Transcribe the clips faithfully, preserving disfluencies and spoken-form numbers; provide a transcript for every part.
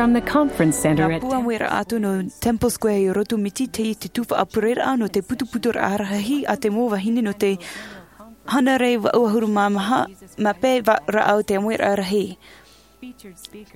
From the conference center Nā at pū ʻāmuiraʻa atu nō Temple Square i Rotomiti, teie te tuhaʻa pureraʻa nō te putuputuraʻa rahi a te mau vahine nō te hānere vaʻu ʻahuru mā maha, mā pae va-, rāʻau te ʻāmuiraʻa rahi.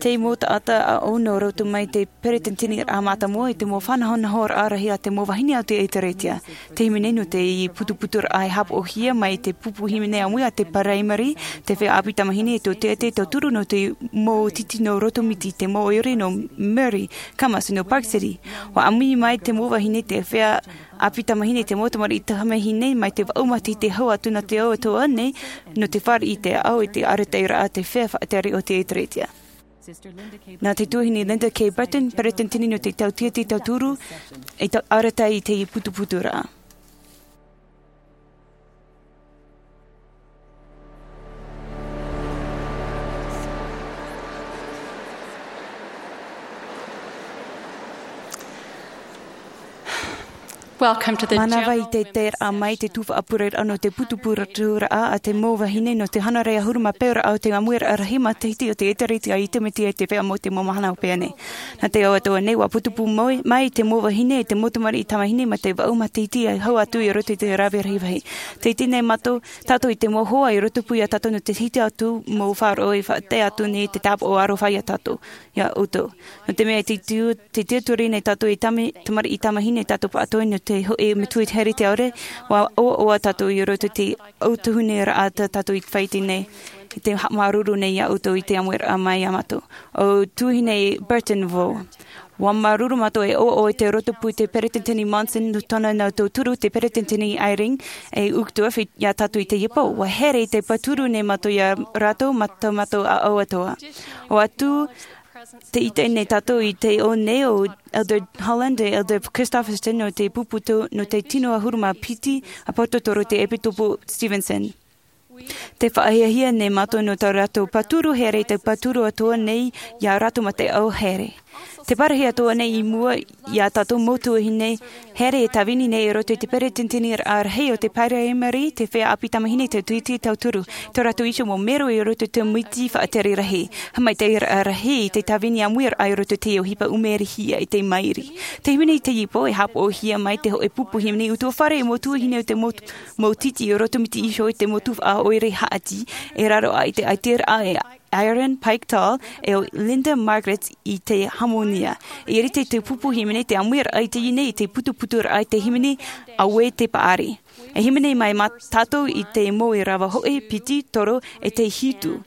Te mau taʻata ʻāʻau nō roto mai te peresideni mātāmua i te mau faʻanahonahoraʻa rahi a te mau vahine o te ʻēkālesia. Te hīmene nō te putuputuraʻa e haʻapaʻohia mai te pupu hīmene ʻāmui a te paraimari, te feiā ʻāpī tamāhine e tōtiati tauturu nō te mau tītī nō Rotomiti, te mau ʻoire nō Murray, Camas nō Park City. ʻUa ʻāmui mai te mau vahine te feiā ʻāpī tamāhine, te mau tamariʻi tamāhine mai te vaʻu matahiti e hau atu nā te ao atoʻa nei, nō te fāriʻi i te ao i te arataʻiraʻa a te feiā faʻatere o te ʻēkālesia. Nā te tuahine Linda K. Burton, peresideni nō te tautia te tauturu, i ta-, arataʻi i te putuputuraʻa. Welcome to the Mānava i te taeraʻa mai te tuhaʻa pureraʻa nō te putuputuraʻa a te mau vahine nō te hānere ʻahuru mā pae rāʻau te ʻāmuiraʻa rahi matahiti o te ʻēkālesia i Rotomiti e te feiā mau te mau mahana o pēnei. Nā te ao atoʻa nei, ʻua putupū mai, mai te mau vahine, te mau tamariʻi tamāhine, mai te vaʻu matahiti e hau atu i roto i te rave rahi vāhi. Tē ʻite nei mātou, tātou i te mau hoa i rotopū ia tātou nō te hiti atu mau faʻaroʻo e faʻatae atu nei te tāpaʻo aroha ia tātou, ia ʻoutou. Nō te mea te tiu-, te tiaturi nei tātou i tama-, tamariʻi tamāhine tātou pāʻatoʻa nō te hōʻē metua haere te ʻaore, ʻua ʻoaʻoa tātou i roto i te ʻautuhuneraʻa tā tātou i faʻaʻite nei, i te haʻamāuruuru nei ia ʻoutou i te ʻāmuiraʻa mai ia mātou. ʻO Tuahine Burton vau. ʻUa māuruuru mātou e ʻoaʻoa i te rotopū i te peresideni Monson nō tōna nā tauturu, te peresideni Eyring, e Uchtdorf i, ia tātou i teie pō. ʻUa haere i te pāturu nei mātou ia rātou, mā tā mātou ʻāʻau atoʻa. ʻUa tū te ʻite nei tātou i te ʻō nei o Elder Holland, e Elder Christofferson, nō te pupu tō, nō te tino ʻahuru mā piti ʻāpōsetolo, te ʻEpīkōpō Stevenson. Tē faʻahiahia nei mātou nō tā rātou pāturu haere, te pāturu atoʻa nei ia rātou mā te ʻāʻau haere. Te parahi atoʻa nei i mua ia tātou mau tuahine haere e tāvini nei i roto i te peresideni rahi o te paraimari, te feiā ʻāpī tamāhine, te tautia tauturu. Tō rātou iho mau mero i roto i te miti faʻatere rahi. Haʻamaitaʻiraʻa rahi i te tāvini ʻāmuiraʻa i roto i te ʻohipa ʻumeri hia i te mairi. Te hīmene i teie pō e haʻapaʻohia mai te hōʻē pupu hīmene ʻutuāfare e mau tuahine o te mau, mau tītī i Rotomiti iho i te mau tuhaʻa ʻoire haʻati, e raro aʻe i te ʻaitiraʻa e Aaron Pike Tall, e ʻo Linda Margaret i te hāmōnia. E rite te pupu hīmene te ʻāmuiraʻa i teie nei i te putuputuraʻa i te hīmene Auē te Paʻari. E hīmene mai mā tātou i te mau ʻīrava hōʻē, piti, toru, e te hitu.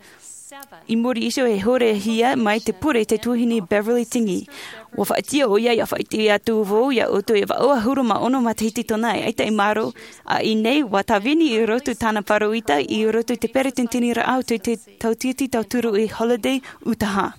I muri iho e horehia mai te pure i te tuahine Beverly Tingey. ʻUa faʻaʻite ʻoia, ʻia faʻaʻite atu vau ia ʻoutou e vaʻu ʻahuru mā ono matahiti tōna e ʻaita i maoro, ʻa ia nei, ʻua tāvini i roto i tāna pāroita, i roto i te peresideni rahi o te, te tautia te tauturu i Holladay, Utaha.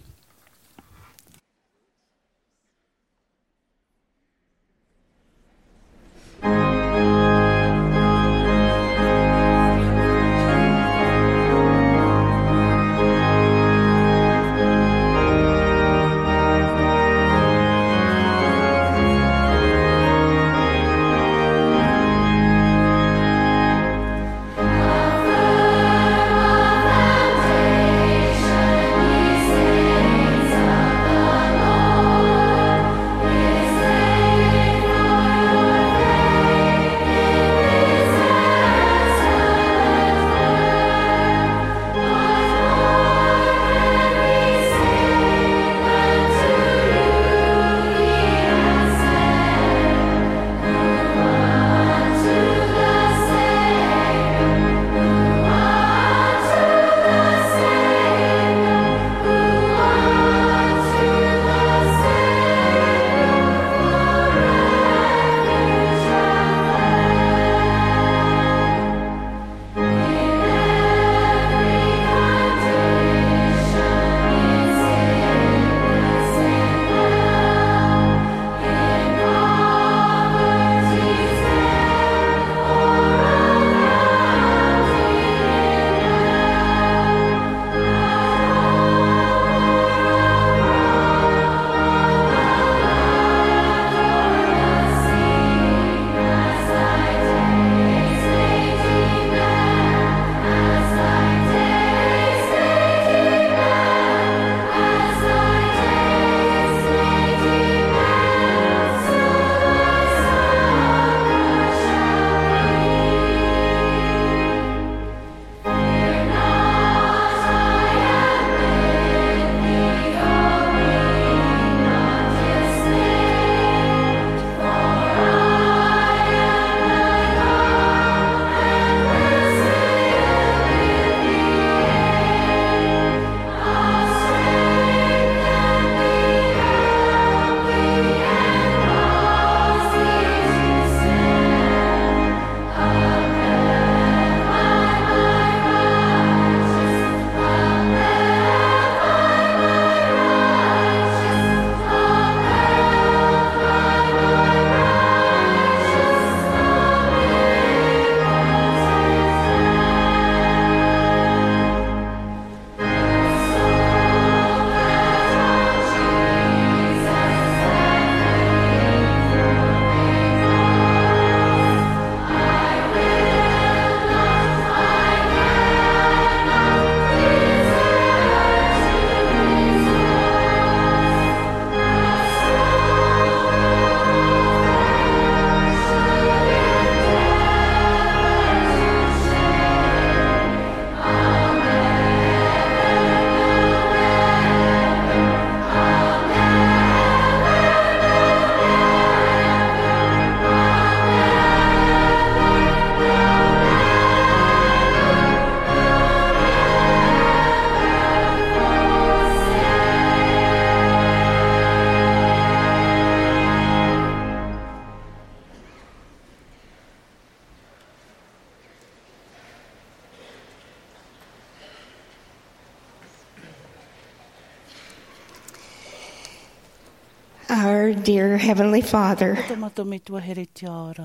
Our dear Heavenly Father. Tō mātou Metua here tiʻa ora.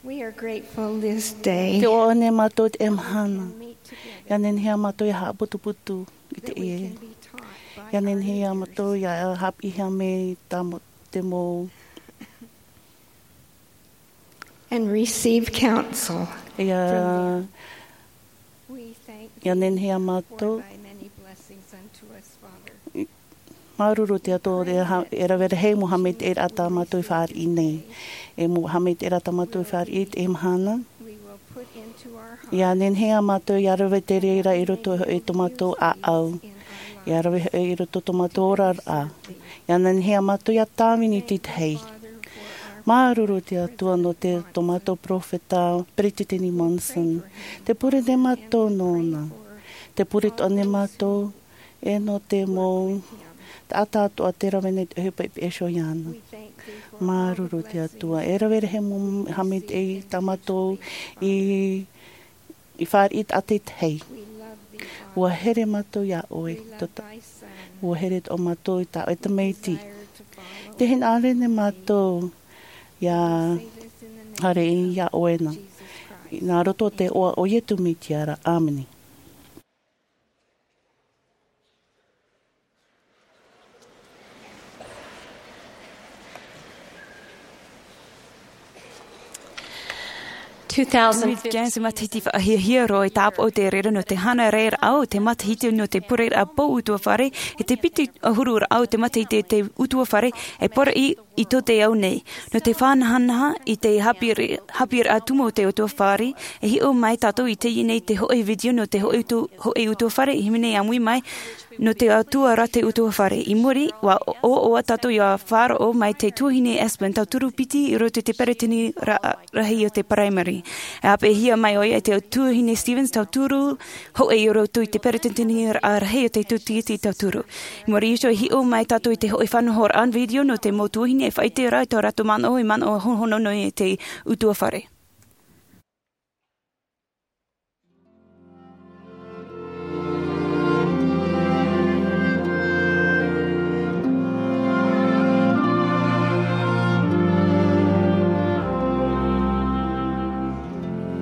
We are grateful this day. Tē ʻoaʻoa nei mātou i teie mahana. ʻIa nehenehe ā mātou ʻia haʻaputuputu i teie. ʻIa nehenehe ā mātou ʻia haʻapiʻihia mai tā mō-, te mau. And receive counsel. ʻIa, ʻia nehenehe ā mātou. Māuruuru te Atua e ha-, e rave rahi mau haʻamaitaʻiraʻa tā mātou i fāriʻi nei. E mau haʻamaitaʻiraʻa tā mātou i fāriʻi i teie mahana. ʻIa nehenehe ā mātou ʻia rave te reira i roto i tō mātou ʻāʻau. ʻIa rave i roto tō mātou oraraʻa. ʻIa nehenehe ā mātou ʻia tāvini i te tahi. Māuruuru te Atua nō te, tō mātou peropheta, Peresideni Monson. Tē pure nei mātou nōna. Tē pure atoʻa nei mātou, e nō te mau taʻata atoʻa tē rave nei te ʻohipa i peʻe iho iāna. Māuruuru te Atua. E rave rahi mau haʻamaitaʻi tā mātou i, i fāriʻi taʻata i te tahi. ʻUa here mātou iā ʻoe. Tō ta-, ʻua here atoʻa mātou i tā ʻoe tamaiti. Tē hinaʻaro nei mātou ʻia haere iā ʻoe na. Nā roto i te iʻoa o Iesu Mesia ra. ʻĀmene. Two thousand fifteen. Te matahiti faʻahiahia roa e tāpaʻo te reira nō te hānere raʻa o te matahiti nō te pureraʻa pou utuafare, e te piti ʻahuru raʻa o te matahiti te utuafare, e poroʻi i tō te ao nei. Nō te faʻanahanaha i te haʻapiʻi-, haʻapiʻiraʻa tumu o te utuafare, e hiʻo mai tātou i teie nei te hōʻē video nō te hōʻē utu-, hōʻē utuafare, i hīmene ʻāmui mai, nō te Atua ra te utuafare. I muri, ʻua ʻoaʻoa tātou ʻia faʻaroʻo mai te tuahine Aspen, tauturu piti i roto i te peretiteni ra-, rahi o te Primary. E ʻāpeʻehia mai ʻoia e te tuahine Stevens, tauturu hōʻē i roto i te peretiteni ra-, rahi o te tūtiti tauturu. I muri iho, e hiʻo mai tātou i te hōʻē faʻanahoraʻa video nō te mau tuahine e faʻaʻite ra i tō rātou manaʻo, e manaʻo honohono nei i te utuafare.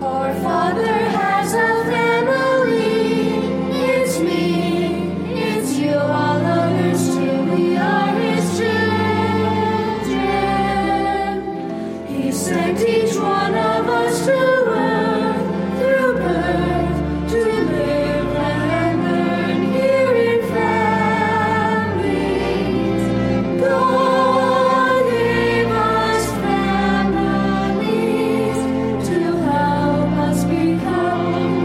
Our Father has a family. It's me, it's you, all others too. We are his children. He sent each one of us to earth through birth to live and learn here in families. God gave us families to help us become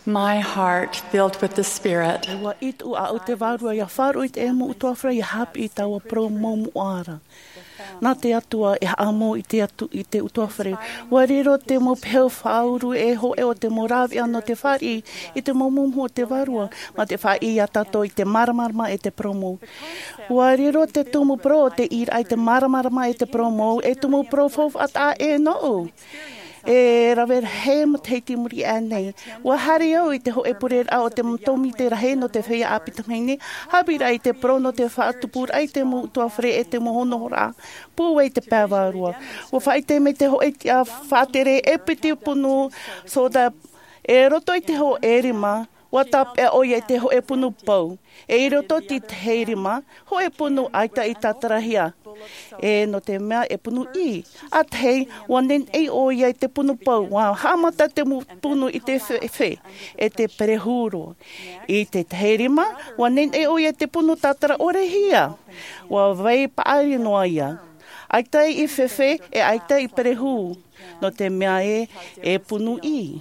My heart filled with the Spirit. ʻUa ʻite ʻaʻau te Vārua ʻia faʻaroʻo i te mau ʻutuāfare ʻia haʻapiʻi i taua parau mau moʻa ra. Nā te Atua e haʻamau i te, atu, i te ʻutuāfare. ʻUa riro te mau peho faʻauru e hōʻē o te mau rāveʻa nō te fāriʻi i te mau momohu o te Vārua, mā te faʻaʻī ia tātou i te māramarama e te parau mau. ʻUa riro te tumu parau o te ʻīraʻa i te māramarama e te parau mau, e tumu parau faufaʻa taʻa ʻē nōʻu. E rave rahi matahiti i muri aʻe nei, ʻua haere au i te hōʻē pureraʻa o te tōmite rahi nō te feiā ʻāpī tamāhine, haʻapiʻiraʻa i te parau nō te faʻatupuraʻa i te mau ʻutuāfare e te mau honohoraʻa pūai i te pae vārua. ʻUa faʻaʻite mai te hōʻē tiʻa faʻatere e piti punu soda, e roto i te hōʻē rima, ʻua tāpeʻa ʻoia i te hōʻē punu pou. E i roto i te rima, hōʻē punu ʻaita i tātarahia. E nō te mea e punu ʻī. ʻA tahi, ʻua neneʻi ʻoia i te punu pou, ʻua haʻamata te mu-, punu i te fefe, e te perehu roa. I te tahi rima, ʻua neneʻi ʻoia i te punu tātara ʻore hia. ʻUa vai paʻari noa ia. ʻAita i fefe, e ʻaita i perehu. Nō te mea ē, e punu ʻī.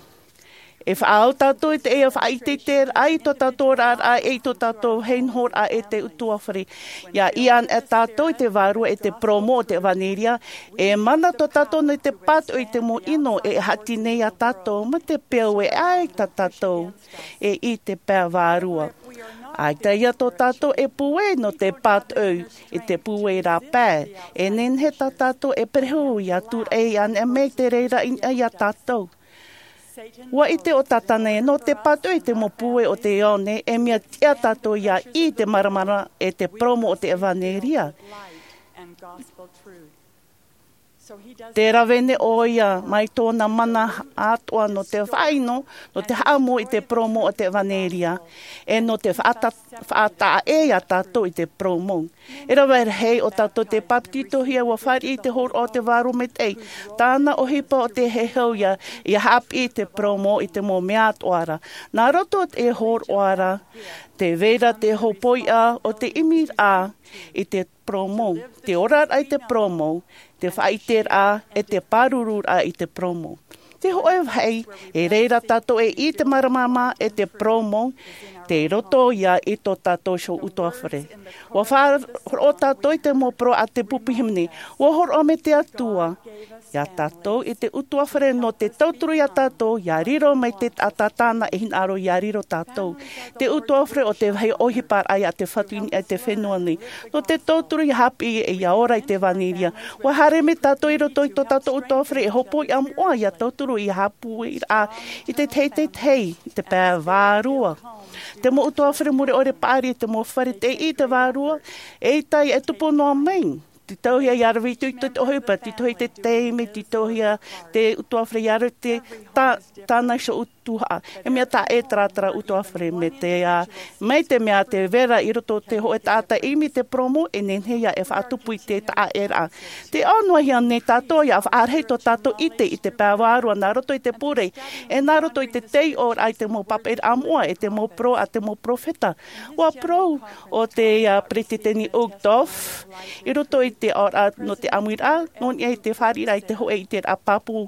E faʻaau tātou i te ʻia faʻaʻiteʻiteraʻa i tō tātou oraraʻa e i tō tātou vāhi nohoraʻa e te ʻutuāfare. ʻIa ʻī anaʻe tātou i te Vārua e te parau mau o te ʻevanelia, e mana tō tātou nei te pātoʻi i te mau ʻino e haʻati nei ia tātou, mā te peu e ʻaita tātou e i te pae vārua. ʻAita ia tō tātou e pūai nō te pātoʻi i te pūai rāpae, e nehenehe tā tātou e perehu ʻia tūraʻi anaʻe mai te reira i niʻa ia tātou. ʻUa ʻite ʻo Tātana ē, nō te pātoʻi i te mau pūai o te ao nei, e mea tiʻa tātou ʻia ʻī i te māramarama e te parau mau o te ʻevanelia. Tē rave nei ʻoia mai tōna mana atoʻa nō te faʻaʻino, nō te haʻamau i te parau mau o te ʻevanelia, e nō te faʻata-, faʻataʻa ʻē ia tātou i te parau mau. E rave rahi o tātou tei pāpetitohia, ʻua fāriʻi i te hōroʻa o te Vārua Maitaʻi, tāna ʻohipa ʻo tē heheu ia, ʻia haʻapiʻi i te parau mau i te mau mea atoʻa ra. Nā roto i te hōroʻa ra, tē vai ra te hōpoiʻa o te ʻimiraʻa i te parau mau, te oraraʻa i te parau mau, te faʻaʻiteraʻa, e te pārururaʻa i te parau mau. Te hōʻē vāhi, e reira tātou e ʻī i te māramarama e te parau mau, tei roto ia i tō tātou iho ʻutuāfare. ʻUa faʻahoro tātou i te mau parau a te pupu hīmene, ʻua hōroʻa mai te Atua ia tātou i te ʻutuāfare nō te tauturu ia tātou, ʻia riro mai te taʻata tāna e hinaʻaro ʻia riro tātou. Te ʻutuāfare ʻo te vāhi ʻohiparaʻa ia te Fatu i niʻa i te fenua nei. Nō te tauturu ʻia haʻapiʻi e ʻia ora i te ʻevanelia. ʻUa haere mai tātou i roto i tō tātou ʻutuāfare e hōpoiʻa moʻa ʻia tauturu ʻia haʻapūairaʻa i te tahi, te tahi, i te pae vārua. Te mau ʻutuāfare mure ʻore paʻari, te mau fare tei ʻī i te Vārua, eʻita e tupu noa mai. Tītauhia ʻia rave atu i te ʻohipa, tītauhia i te taime, tītauhia te ʻutuāfare ʻia rave te tā-, tāna iho tuhaʻa. E mea taʻa ʻē taratara ʻutuāfare mai te, ā, mai te mea tē vai ra i roto te hōʻē taʻata e ʻimi i te parau mau, e nehenehe ia e faʻatupu i te taʻa ʻēraʻa. Tē ʻō noa hia nei tātou ʻia faʻarahi tō tātou ʻite i te pae vārua nā roto i te pure, e nā roto i te taiʻoraʻa i te mau papaʻiraʻa moʻa, e te mau parau a te mau perofeta. ʻUa parau ʻo te, ā, Peretiteni Uchtdorf, i roto i te aʻoraʻa nō te ʻāmuiraʻa, nō niʻa i te fāriʻiraʻa i te hōʻē ʻiteraʻa pāpū.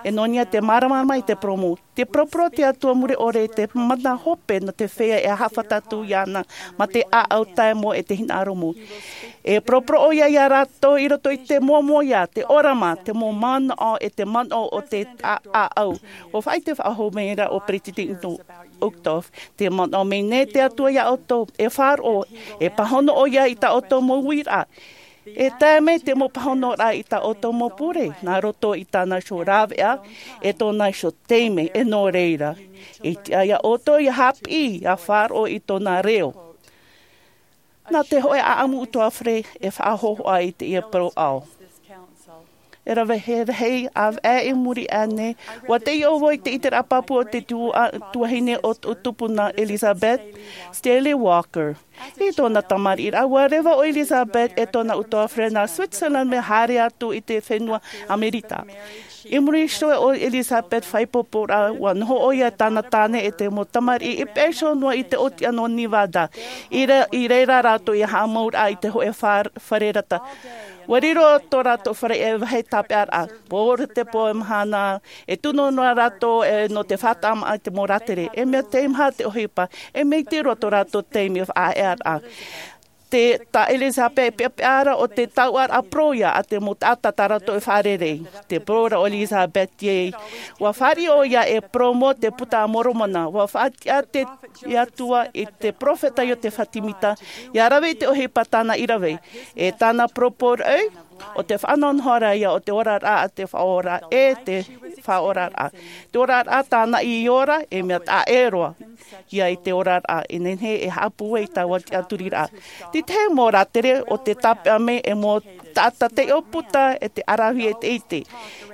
E nō niʻa te māramarama i te parau mau. Tē paraparau te Atua mure ʻore i te mana hope nō te feiā e haʻafātata atu iāna, mā te ʻāʻau taeaʻe e te hinaʻaro mau. E paraparau ʻoia ia rātou i roto i te moamoa ia, te ʻōrama, te mau manaʻo e te manaʻo o te ʻā-, ʻāʻau. ʻUa faʻaʻite faʻahou mai ra ʻo Peretiteni Uchtdorf, tē manaʻo mai nei te Atua ia ʻoutou, e faʻaroʻo, e pāhono ʻoia i tā ʻoutou mau uiraʻa. E tae mai te mau pāhonoraʻa i tā ʻoutou mau pure, nā roto i tāna iho rāveʻa, e tōna iho taime, e nō reira. E tiʻa ia ʻoutou ʻia haʻapiʻi, ʻia faʻaroʻo i tōna reo. Nā te hōʻē ʻāʻamu ʻutuāfare e faʻahōhoʻa i teie parau ʻao. E rave rahi, ʻāvaʻe i muri aʻe nei, ʻua taiʻo vau i te ʻiteraʻa pāpū o te tua-, tuahine ʻo, ʻo tupuna Elizabeth Stanley Walker. I tōna tamariʻiraʻa, ua reva ʻo Elizabeth e tōna utuafare nā Switzerland mea haere atu i te fenua Amerika. I muri iho o Elizabeth faʻaipoiporaʻa, ua noho ʻoia e tāna tāne e te mau tamariʻi i peʻe iho noa i te ʻōtiʻa nō Nevada. I re-, i reira rātou i haʻamau ra i te hōʻē far-, fare rata. Ua riro tō rātou fare e vāhi tāpeʻaraʻa. Pō ra te pō e mahana, e tunu noa rātou e nō te faʻataʻa maʻa i te mau rātere. E mea teimaha te ʻohipa, e mea iti roa tō rātou taime faʻaearaʻa. Te, tā Elizabeth e peʻapeʻa ra ʻo te tauʻaraʻa parau ia a te mau taʻata tā rātou e fārerei. Te parau ra ʻo Elizabeth ē, ua fāriʻi ʻoia e parau mō te Puta a Moromona, ua faʻatiʻa te Atua i te peropheta Iotefa Semita, ʻia rave i te ʻohipa tāna i rave. E tāna parau parau, ʻo te faʻanahonahoraʻa ia o te oraraʻa a te Faʻaora e te Faʻaoraraʻa. Te oraraʻa tāna i ora, e mea taʻa ʻē roa ia i te oraraʻa, e nehenehe e haʻapū ai taua tiʻaturiraʻa. Te tahi mau rātere ʻo te tāpeʻa mai e mau taʻata taiʻo puta e te ʻaravihi e te ʻite.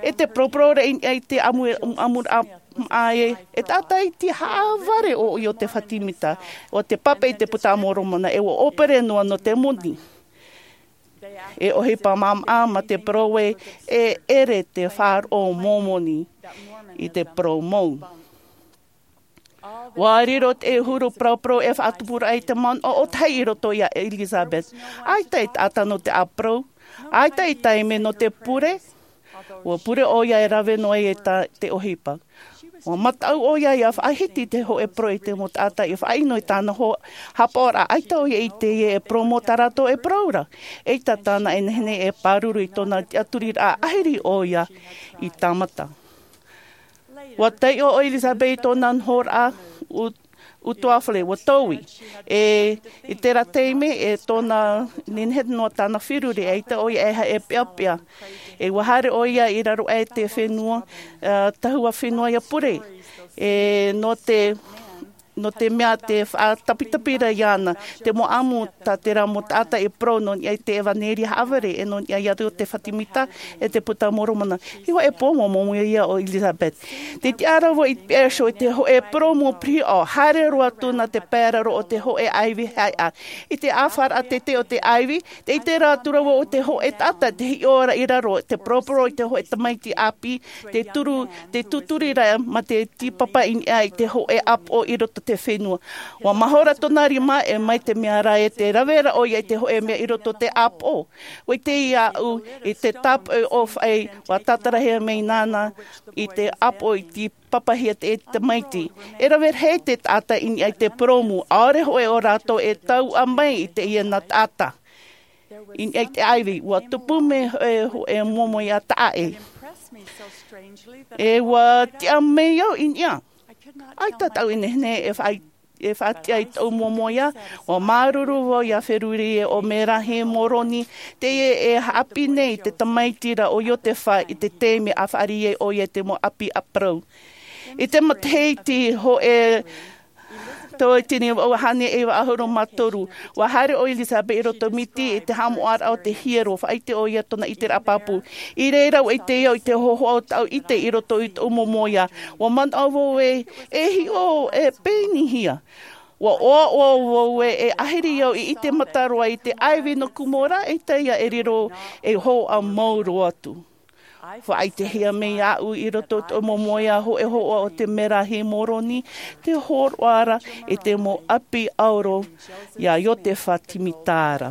E te parauparau ra i niʻa i te ʻamu, ʻamuraʻa maʻa e, e taʻata iti haʻavare ʻo Iotefa Semita, ʻo te pāpaʻi i te Puta a Moromona, e ua ʻōpere noa nō te moni. E ʻohipa māmā mā te parau ē, e ʻere te faʻaroʻo Momoni i te parau mau. Ua riro te huru parauparau e faʻatupuraʻa i te manaʻo ʻōtahi i roto ia Elizabeth. ʻAita e taʻata nō te ʻāparau, ʻaita e taime nō te pure, ua pure ʻoia e rave noa i tā te ʻohipa. Ua mataʻu ʻoia ʻia faʻahiti te hōʻē parau i te mau taʻata i faʻaʻino i tāna hō-, haʻapaʻoraʻa, ʻaita ʻoia i ʻite e parau mō tā rātou e parau ra. ʻEita tāna e nehenehe e pāruru i tōna tiʻaturiraʻa ʻahiri ʻoia i tāmata. Ua taiʻo ʻo Elizabeth i tōna nohoraʻa u-, utuafare, ua tōʻi. E, i terā taime, e tōna nehenehe noa tāna feruri, ʻaita ʻoia e, e peʻapeʻa. E ua haere ʻoia i raro aʻe i te fenua, ā, tahua fenua ʻia pure. E nō te, nō te mea te faʻatapitapi ra iāna, te mau ʻamu tā terā mau taʻata e parau nō niʻa i te ʻevanelia haʻavare, e nō niʻa ia Iotefa Semita, e te Puta a Moromona. I hōʻē pō, ua momoʻia ʻo Elizabeth. Tē tiʻa ra vau i te peʻe iho i te hōʻē purōmu piriʻo, haere roa atu nā te pae raro o te hōʻē ʻaivi haʻeʻa. I te ʻāfaraʻa teitei o te ʻaivi, tē ʻite ra atu ra vau ʻo te hōʻē taʻata tē hiʻo ra i raro, tē poroporō i te hōʻē tamaiti ʻāpī, tē turu, tē tūturi ra mā te tīpapa i niʻa i te hōʻē ʻāpoʻo i roto i te fenua. Ua mahora tōna rima, e mai te mea ra ē tē rave ra ʻoia i te hōʻē mea i roto i te ʻāpoʻo. ʻUa ʻite aʻu i te tāpoʻi ʻōfaʻi, ʻua tātarahia mai nāna i te ʻāpoʻo i tīpapahia te tamaiti. E rave rahi te taʻata i niʻa i te purōmu, ʻaore hoʻi ʻo rātou e tauʻa mai i teie nā taʻata. I niʻa i te ʻaivi, ua tupu mai e, e momoʻia taʻa ʻē. E ua tiʻa mai au i niʻa. ʻAita tāʻu e nehenehe e faʻa-, e faʻatiʻa i tōʻu momoʻia, ua māuruuru vau ʻia feruri ē ʻo Merahi Moroni, teie e haʻapiʻi nei i te tamaiti ra ʻo Iotefa i te taime a fāriʻi ai ʻoia i te mau ʻapi ʻāparau. I te matahiti hōʻē tauatini vaʻu ʻahuru mā toru, ua haere ʻo Elizabeth i roto i te miti i te haʻamoʻaraʻa o te hiero, faʻaʻite ʻoia i tōna ʻiteraʻa pāpū. I reira ʻua ʻite au i te hōhoʻa o tāʻu ʻite i roto i tōʻu momoʻia. Ua manaʻo vau ē, e hiʻo, e pēnihia. Ua ʻoaʻoa vau ē, e ʻahiri au i ʻite mata roa i te ʻaivi nō Kumora, ʻaita ïa e riro ei hōhoʻa mau roa atu. Faʻaʻitehia mai aʻu i roto i tōʻu momoʻia hōʻē hōhoʻa o te Merahi Moroni, tē hōroʻa ra i te mau ʻapi ʻauro ia Iotefa Semita ra.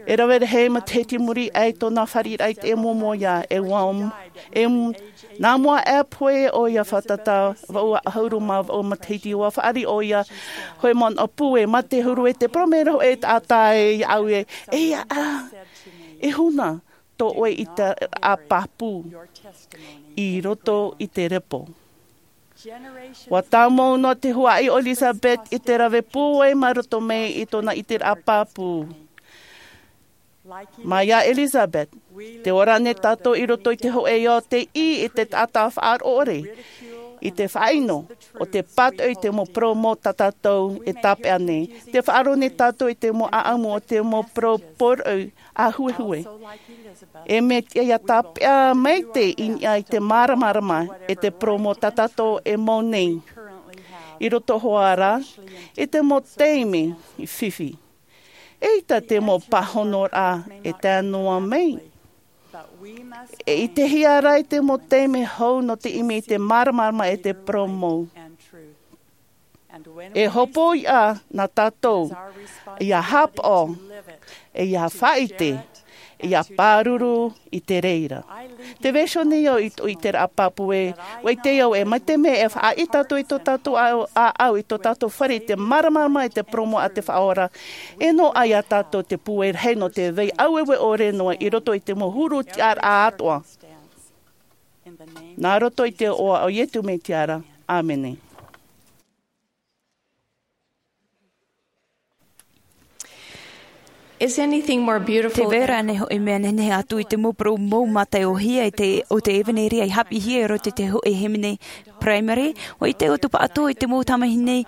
E rave rahi matahiti i muri aʻe i tōna fāriʻiraʻa i te momoʻia, e ua, e, nā mua aʻe pohe ʻoia fātata vaʻu ʻahuru mā vaʻu matahiti, ua fāriʻi ʻoia, hōʻē manaʻo pūai, mā te huru ē, tē parau mai ra hōʻē taʻata iāʻu ē, e ʻia, e huna tō ʻoe ʻiteraʻa pāpū i roto i te repo. Ua tāmau noa te huaʻi o Elizabeth i te rave pūai mā roto mai i tōna ʻiteraʻa pāpū. Mai iā Elizabeth, tē ora nei tātou i roto i te hōʻē ao tei ʻī i te taʻata faʻaroʻo ʻore, i te faʻaʻino, ʻo te pātoʻi i te mau parau mau tā tātou e tāpeʻa nei. Tē faʻaroʻo nei tātou i te mau ʻāʻamu o te mau parau pōroʻi ʻāhuehue. E mea tiʻa ʻia tāpeʻa maitaʻi i niʻa i te māramarama e te parau mau tā tātou e mau nei. i roto hoʻi rā i te mau taime fifi. ʻEita te mau pāhonoraʻa e tae noa mai. E ʻitehia rā i te mau taime hou nō te ʻimi i te māramarama e te poromou. E hopoiʻa nā tātou ia hāpaʻo, e ia faʻaʻite, ia pāruru i te reira. Te vaiiho nei au i tō ʻiteraʻa pāpū ē, ʻua ʻite au ē, mai te mea e faʻaʻite tātou i tō tātou ʻāʻau, i tō tātou fare i te māramarama i te poromou a te Faʻaora, e noaʻa ia tātou te pūai rahi nō te vai ʻaueue ʻore noa i roto i te mau huru tiʻaraʻa atoʻa. Nā roto i te iʻoa o Iesu Mesia ra. ʻĀmene. Is anything more beautiful Te vera than nei hoʻi mea nehenehe atu i te mau poromou mātaiʻohia e te, o te ʻevanelia i haʻapiʻihia i roto i te hoʻi hīmene primary, ʻua ʻite ʻoutou pāʻatoʻa i te mau tamahine,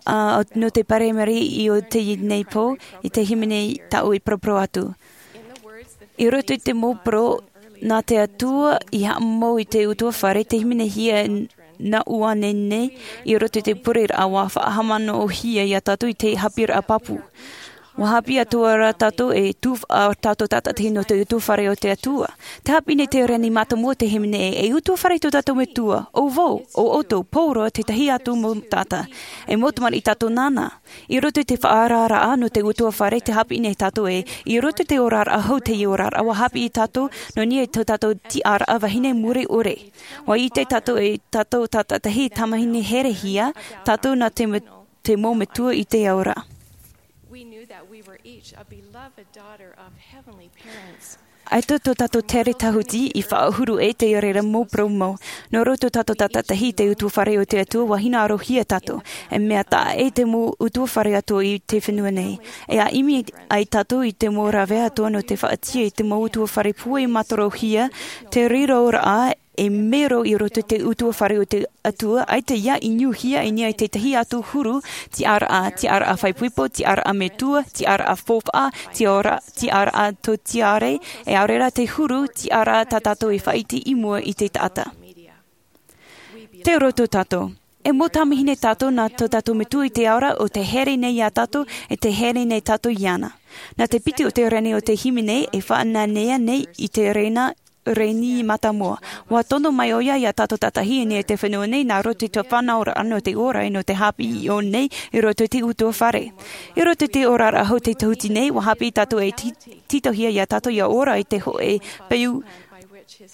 ā, nō te primary i ō teie nei pō, i te hīmene tāʻu i paraparau atu. I roto i te mau poro, nā te Atua i haʻamau i te ʻutuāfare, te hīmenehia nā ʻua nehenehe, i roto i te pureraʻa ʻua faʻahaʻamanaʻohia ia tātou i te haʻapiʻiraʻa pāpū. ʻUa haʻapiʻi atoʻa rā tātou e tufaʻa tātou tātaʻitahi nō te ʻutuāfare o te Atua. Tē haʻapiʻi nei te reni mātāmua o te hīmene ē, e ʻutuāfare tō tātou Metua, ʻo vau, ʻo ʻoutou, pauroa, te tahi atu mau taʻata. E mau tamariʻi tātou nāna. I roto i te faʻaoraraʻa nō te ʻutuāfare tē haʻapiʻi nei tātou ē, i roto i te oraraʻa hou teie oraraʻa ʻua haʻapiʻi tātou, nō niʻa i tō tātou tiʻaraʻa vahine muri ʻore. ʻUa ʻite tātou ē tātou tātaʻitahi tamahine herehia, tātou nā te me-, te mau metua i te ao ra. We knew that we were each a beloved daughter of heavenly parents. ʻAita tō tātou tere tahuti i faʻahuru ʻē te reira mau poromou. Nō roto tātou tātaʻitahi i te ʻutuāfare o te Atua ʻua hinaʻarohia tātou. E mea taʻa ʻē te mau ʻutuāfare atoʻa i te fenua nei. E ʻimi ai tātou i te mau rave atoʻa nō te faʻatia i te mau ʻutuāfare pūai mātorohia, te riroraʻa e mero i roto i te ʻutuāfare o te Atua, ʻaita ia ʻinuhia i niʻa i te tahi atu huru tiʻaraʻa, tiʻaraʻa faʻaipoipo, tiʻaraʻa metua, tiʻaraʻa faufaʻa, tiʻaraʻa, tiʻaraʻa tōtiare, e ʻaore rā te huru tiʻaraʻa tā tātou e faʻaʻite i mua i te taʻata. Tei roto tātou. E mau tamahine tātou nā tō tātou Metua i te ao ra, ʻo tē here nei ia tātou, e tē here nei tātou iāna. Nā te piti o te reni o te hīmene e faʻanahonahohia nei i te rena reni mātāmua. ʻUa tono mai ʻoia ia tātou tātaʻitahi i niʻa i te fenua nei nā roto i te fānauraʻa nō te ora e nō te haʻapiʻi i ʻō nei i roto i te ʻutuāfare. I roto i te oraraʻa hou te tahuti nei, ʻua haʻapiʻi tātou e ti-, tītauhia ia tātou ia ora i te hōʻē peu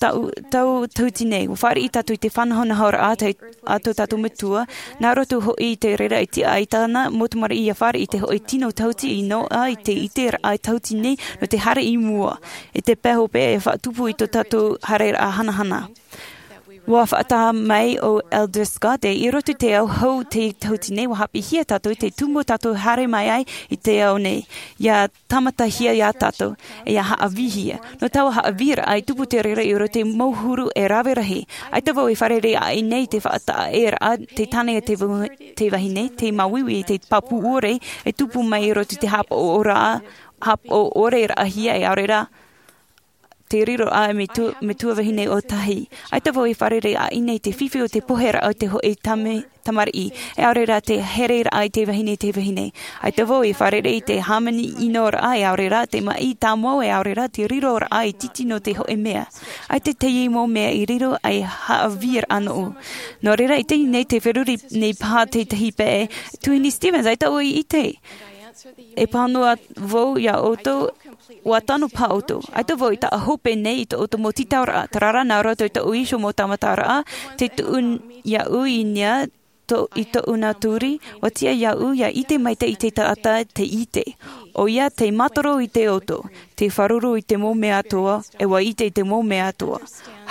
tau, tau tahuti nei. ʻUa fāriʻi tātou i te faʻanahonahoraʻa te a tō tātou Metua, nā roto hoʻi i te reira e tiʻa ai tāna mau tamariʻi ia fāriʻi i te hōʻē tino tahuti i noaʻa i te ʻiteraʻa tahuti nei nō te haere i mua. I te pae hope e faʻatupu i tō tātou haereraʻa hanahana. ʻUa faʻataʻa mai ʻo Elder Scott ē, i roto i te ao hou te tahuti nei, ʻua haʻapiʻihia tātou i te tumu tātou haere mai ai i te ao nei. Ia tāmatahia ia tātou, e ia haʻavīhia. Nō taua haʻavīraʻa e tupu te reira i roto i te mau huru e rave rahi. ʻAita vau e fārerei aʻe nei te faʻataʻa ʻē raʻa, te tāne e te vau-, te vahine, te māuiui, te pāpū ʻore, e tupu mai i roto i te haʻapaʻo ʻore, haʻapaʻo ʻore raʻahia e ʻaore rā te riroraʻa e metua, metua vahine ʻōtahi. ʻAita vau e fārerei aʻe nei te fifi o te poheraʻa o te hōʻē tame-, tamariʻi, e ʻaore rā te hereraʻa i te vahine, te vahine. ʻAita vau e fārerei i te hāmani ʻinoraʻa, e ʻaore rā te maʻi tāmau, e ʻaore rā te riroraʻa ʻītiti nō te hōʻē mea. ʻAita teie mau mea i riro ei haʻavīraʻa nōʻu. Nō reira, i teie nei, tē feruri nei paha te tahi pae, Tuahine Stevens, ʻaita ʻoe i ʻite. E pāhono vau ia ʻoutou, ʻua tano paha ʻoutou. ʻAita vau i taʻa hope nei i tō ʻoutou mau tītauraʻa, terā rā nā roto i tōʻu iho mau tāmataraʻa, tē tuʻu iāʻu i niʻa tō, i tōʻu nā turi, ʻua tiʻa iāʻu ia ʻite maitaʻi i te taʻata tei ʻite. ʻOia tei mātaro i te ʻoto, tei fāruru i te mau mea atoʻa, e ʻua ʻite i te mau mea atoʻa.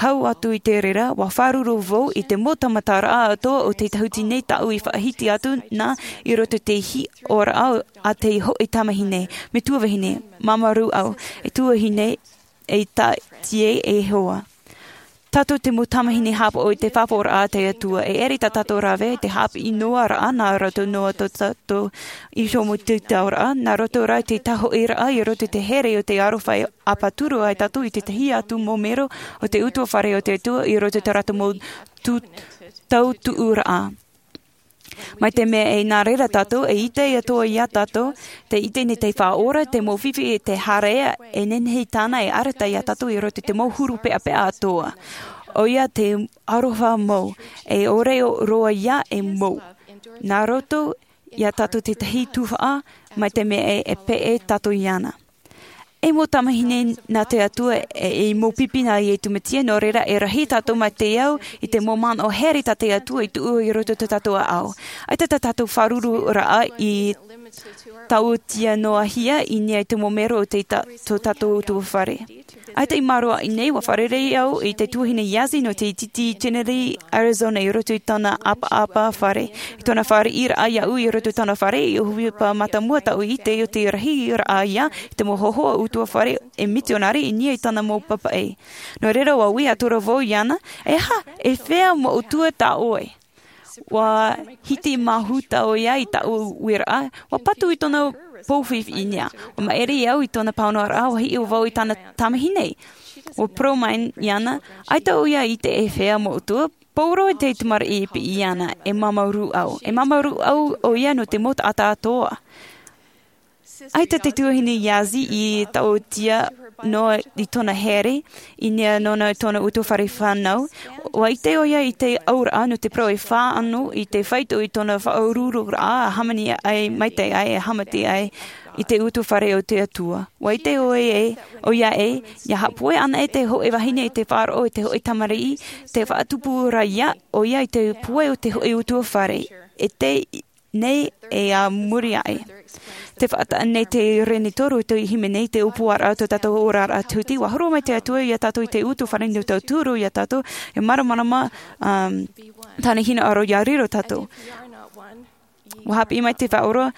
Hau atu i te reira, ʻua fāruru vau i te mau tāmataraʻa atoʻa o te tahuti nei tāʻu i faʻahiti atu na i roto i te hiʻoraʻa a te hōʻē tamahine, metua vahine, māmā rūʻau, e tuahine, e tāʻati e hoa. Tātou te mau tamahine haʻapaʻo i te faʻapaʻoraʻa a te Atua, e ʻere tā tātou rave, te haʻapiʻi noa raʻa, nā roto noa tō tātou iho mau tītauraʻa, nā roto rā i te tahoʻiraʻa, i roto i te here o te aroha e ʻāpaturu ai tātou i te tahi atu mau mero o te ʻutuāfare o te Atua, i roto i tā rātou mau tū-, tautuʻuraʻa. Mai te mea e nā reira tātou e ʻite atoa iā tātou, te ʻite nei te Faʻaora, te mau fifi e te haere, e nehenehe tāna e arataʻi iā tātou i roto i te mau huru peʻapeʻa atoa. ʻOia te aroha mau, e ʻore roa ia e mau. Nā roto iā tātou tētahi tuhaʻa, mai te mea e, e peʻe tātou iāna. E mau tamahine nā te Atua, e, e mau pipi nā Iesu Mesia, nō reira e rahi tātou mai te ao i te mau manaʻo here tā te Atua i tuʻu i roto i tō tātou ʻāʻau. ʻAita tā tātou fārereiraʻa i tauʻatāina noa hia i niʻa i te mau mero o te ta-, tō tātou ʻutuāfare. ʻAita i mārō aʻe nei, ʻua fārerei au i te tuahine Yazzie nō te tītī Chinle, Arizona, i roto i tōna ʻapaʻapa fare. I tōna fāriʻiraʻa iāʻu i roto i tōna fare, i ʻōhipa mātāmua tāʻu i ʻite o te rahiraʻa ia, i te mau hōhoʻa ʻutuāfare e mitionare i niʻa i tāna mau papaʻi. Nō reira, ʻua ui atu ra vau iāna, e aha, e fea mau ʻutua tā ʻoe? ʻUa hiti māhū tā ʻoia i tāʻu uiraʻa, ʻua patu i tōna pou fifi i niʻa. ʻUa maʻiri au i tōna pāhonoraʻa, ʻua hiʻo vau i tāna tamahine. ʻUa parau mai iāna, ʻaita ʻoia i ʻite e fea mau ʻutua, pauroa te tamariʻi e piʻi iāna, e māmā rūʻau. E māmā rūʻau ʻoia nō te mau taʻata atoa. ʻAita te tuahine Yazzie i tauʻatāina noa i tōna here, i niʻa nōna i tōna ʻutuāfare fānau. ʻUa ʻite ʻoia i te auraʻa nō te parau e fānaʻo i te faito i tōna faʻaruruhia, e hāmani ai, maitaʻi ai, e haʻamata ai i te ʻutuāfare o te Atua. ʻUa ʻite ʻoe e, ʻoia e, ʻia haʻapohe anaʻe te hōʻē vahine i te faʻaroʻo i te hōʻē tamariʻi, tē faʻatupu ra ia, ʻoia i te pohe o te hōʻē ʻutuāfare. E te nei e a muri aʻe. Tē faʻataʻa nei te reni toru o te hīmene i te ʻōpuaraʻa o tō tātou oraraʻa tūtī, ʻua horo mai te Atua iā tātou i te ʻutuāfare nō te tauturu iā tātou, e māramarama, um, tāna hinaʻaro ʻia riro tātou. ʻUa haʻapiʻi mai te Faʻaora,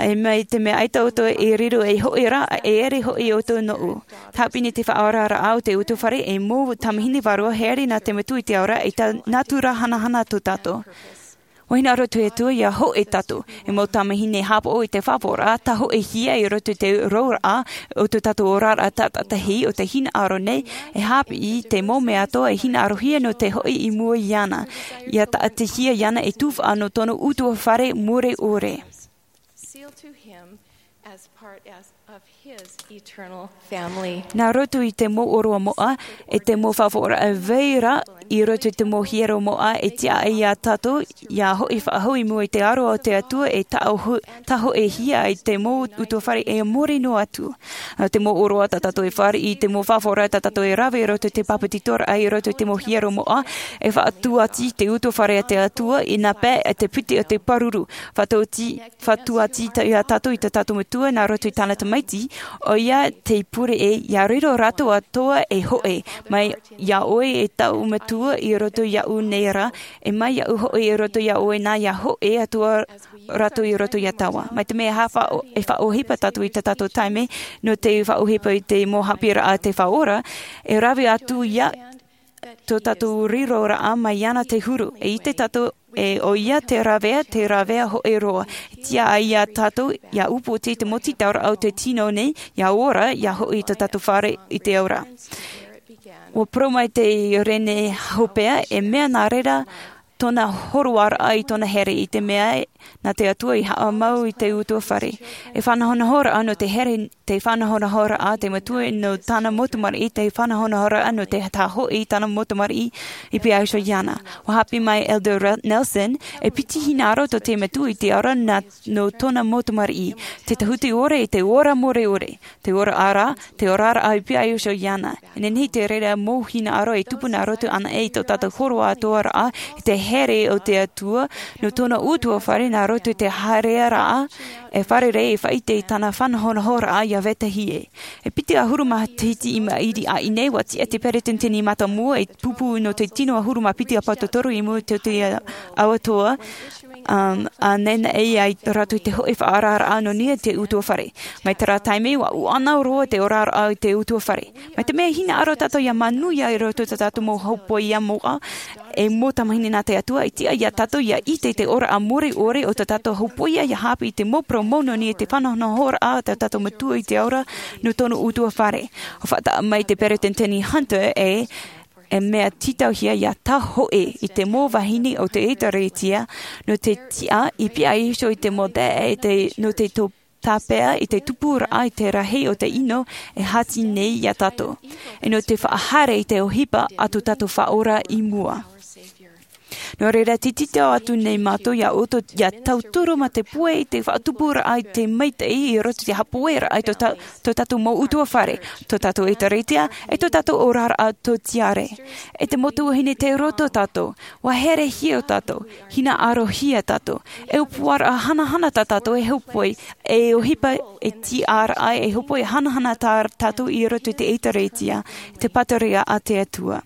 e mai te mea ʻaita ʻoutou e riro ei hōʻē ra, e ʻere hoʻi ʻoutou nōʻu. Tē haʻapiʻi nei te faʻaoraraʻa o te ʻutuāfare, e mau tamahine vārua here nā te Metua i te Ao ra, e tā nātura hanahana tō tātou. ʻUa hinaʻaro te Atua ʻia hōʻē tātou, e mau tamahine haʻapaʻo i te faʻapaʻoraʻa, tāhōʻēhia i roto i te roaraʻa o tō tātou oraraʻa tātaʻitahi o te hinaʻaro nei, e haʻapiʻi te mau mea atoa e hinaʻarohia nō te hoʻi i mua iāna, ʻia taʻatihia iāna e tuhaʻa nō tōna ʻutuāfare mure ʻore. Sealed to him as part as, of his eternal family. Nā roto i te mau ʻōroʻa moʻa, e te mau faʻapaʻoraʻa vai ra, i roto i te mau hiero moʻa, e tiʻa ai iā tātou, ʻia hoʻi faʻahou i mua i te aro o te Atua, e tāʻo-, tāhōʻēhia ai te mau ʻutuāfare e mōrī noa atu. Nā te mau ʻōroʻa tā tātou e fāriʻi, te mau faʻapaʻoraʻa tā tātou e rave i roto i te pāpetitoraʻa, i roto i te mau hiero moʻa, e faʻatūʻati te ʻutuāfare a te Atua, i nā pae e te piti o te pāruru. Faʻatūʻati, faʻatūʻati tā, iā tātou i tā tātou Metua nā roto i tāna Tamaiti, ʻoia tei pure ē, ʻia riro rātou atoa e hōʻē, mai iā ʻoe e tāʻu Metua i roto iāʻu nei ra, e mai iāʻu hoʻi i roto iā ʻoe nā ʻia hōʻē atoa rātou i roto iā tāua. Mai te mea e haʻafa-, e faʻaʻohipa tātou i tā tātou taime, nō te faʻaʻohipa i te mau haʻapiʻiraʻa a te Faʻaora, e rave atu ia tō tātou riroraʻa mai iāna te huru. E ʻite tātou, e ʻoia te ravea, te ravea hōʻē roa. E tiʻa ai iā tātou, ʻia upoʻotiʻa i te mau tītauraʻa o te tino nei, ʻia ora, ʻia hoʻi i tō tātou fare i te Ao ra. ʻUa parau mai te reni hopeʻa, e mea nā reira tōna hōroaraʻa i tōna here, i te mea nā te Atua i haʻamau i te ʻutuāfare. E faʻanahonahoraʻa nō te here, te faʻanahonahoraʻa te Metua nō tāna mau tamariʻi, te faʻanahonahoraʻa nō te tāhōʻē i tāna mau tamariʻi i piha iho iāna. ʻUa haʻapiʻi mai Elder Ra-, Nelson, e piti hinaʻaro tō te Metua i te Ao ra nā, nō tōna mau tamariʻi. Te tāhuti ʻore, te ora mure ʻore. Te ora ra, te oraraʻa i piha iho iāna. E nehenehe te reira mau hinaʻaro e tupu nā roto anaʻe i tō tātou hōroʻa atoʻa ra, i te here o te Atua, nō tōna ʻutuāfare nā roto i te haereraʻa, e fārerei e faʻaʻite i tāna faʻanahonahoraʻa ʻia vetahi ē. E piti ʻahuru matahiti i maʻiri aʻe nei, ʻua tiʻa te peresideni mātāmua e pupu nō te tino ʻahuru mā piti ʻāpōsetolo i mua i te, te Ao atoʻa, um, a naʻinaʻi ai rātou i te hōʻē faʻaoraraʻa nō niʻa i te ʻutuāfare. Mai terā taime, ʻua ʻuʻana roa te oraraʻa i te ʻutuāfare. Mai te mea e hinaʻaro tātou ʻia manuia i roto i tā tātou mau hōpoiʻa moʻa, e mau tamahine nā te Atua, e tiʻa iā tātou ʻia ʻite i te oraraʻa mure ʻore o tā tātou hōpoiʻa, ʻia haʻapiʻi i te mau parau mau nō niʻa i te faʻanahonahoraʻa a tā tātou Metua i te Ao ra, nō tōna ʻutuāfare. ʻUa faʻataʻa mai te peresideni Hunter ē, E mea tītauhia ia tae hoʻi i te mau vahine o te ʻēkālesia nō te tiʻa i piha iho i te mau taeaʻe, i te, nō te tō tāpeʻa i te tupuraʻa i te rahi o te ʻino e hāti nei ia tātou, e nō te faʻahaere i te ʻohipa a tō tātou Faʻaora i mua. Nō reira, tititau atu nei mātou ia ʻoutou ia tauturu mā te pūai i te faʻatupuraʻa i te maitaʻi i roto i te hapoeraʻa i tō tā-, tō tātou mau ʻutuāfare, tō tātou ʻēkālesia, e tō tātou oraraʻa tō tiare. E te mau tuahine, tei roto tātou, ʻua herehia tātou, hinaʻarohia tātou, e ʻōpuaraʻa hanahana tā tātou e hōpoi, e ʻohipa, e tiʻaraʻa e hōpoi hanahana tā tātou i roto i te ʻēkālesia, te pātireia a te Atua.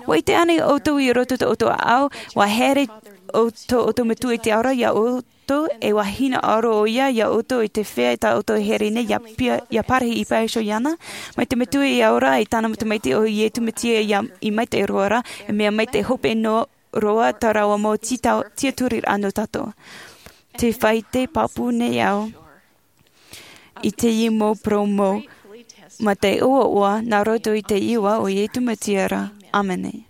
ʻUa ʻite ānei ʻoutou i roto tō ʻoutou ʻāʻau, ʻua haere ʻo-, tō ʻoutou Metua i te ao ra ia ʻoutou, e ʻua hinaʻaro ʻoia ia ʻoutou i te feiā tā ʻoutou e haere nei ia pia-, ia pārahi i piha iho iāna? Mai te Metua i te ao ra, i tāna tamaiti ʻo Iesu Mesia ia, i maitaʻi roa ra, e mea maitaʻi hope noa roa tā rāua mau tītau-, tiʻaturiraʻa nō tātou. Tē faʻaʻite pāpū nei au i teie mau parau mau, mā te ʻoaʻoa nā roto i te iʻoa o Iesu Mesia ra. ʻĀmene.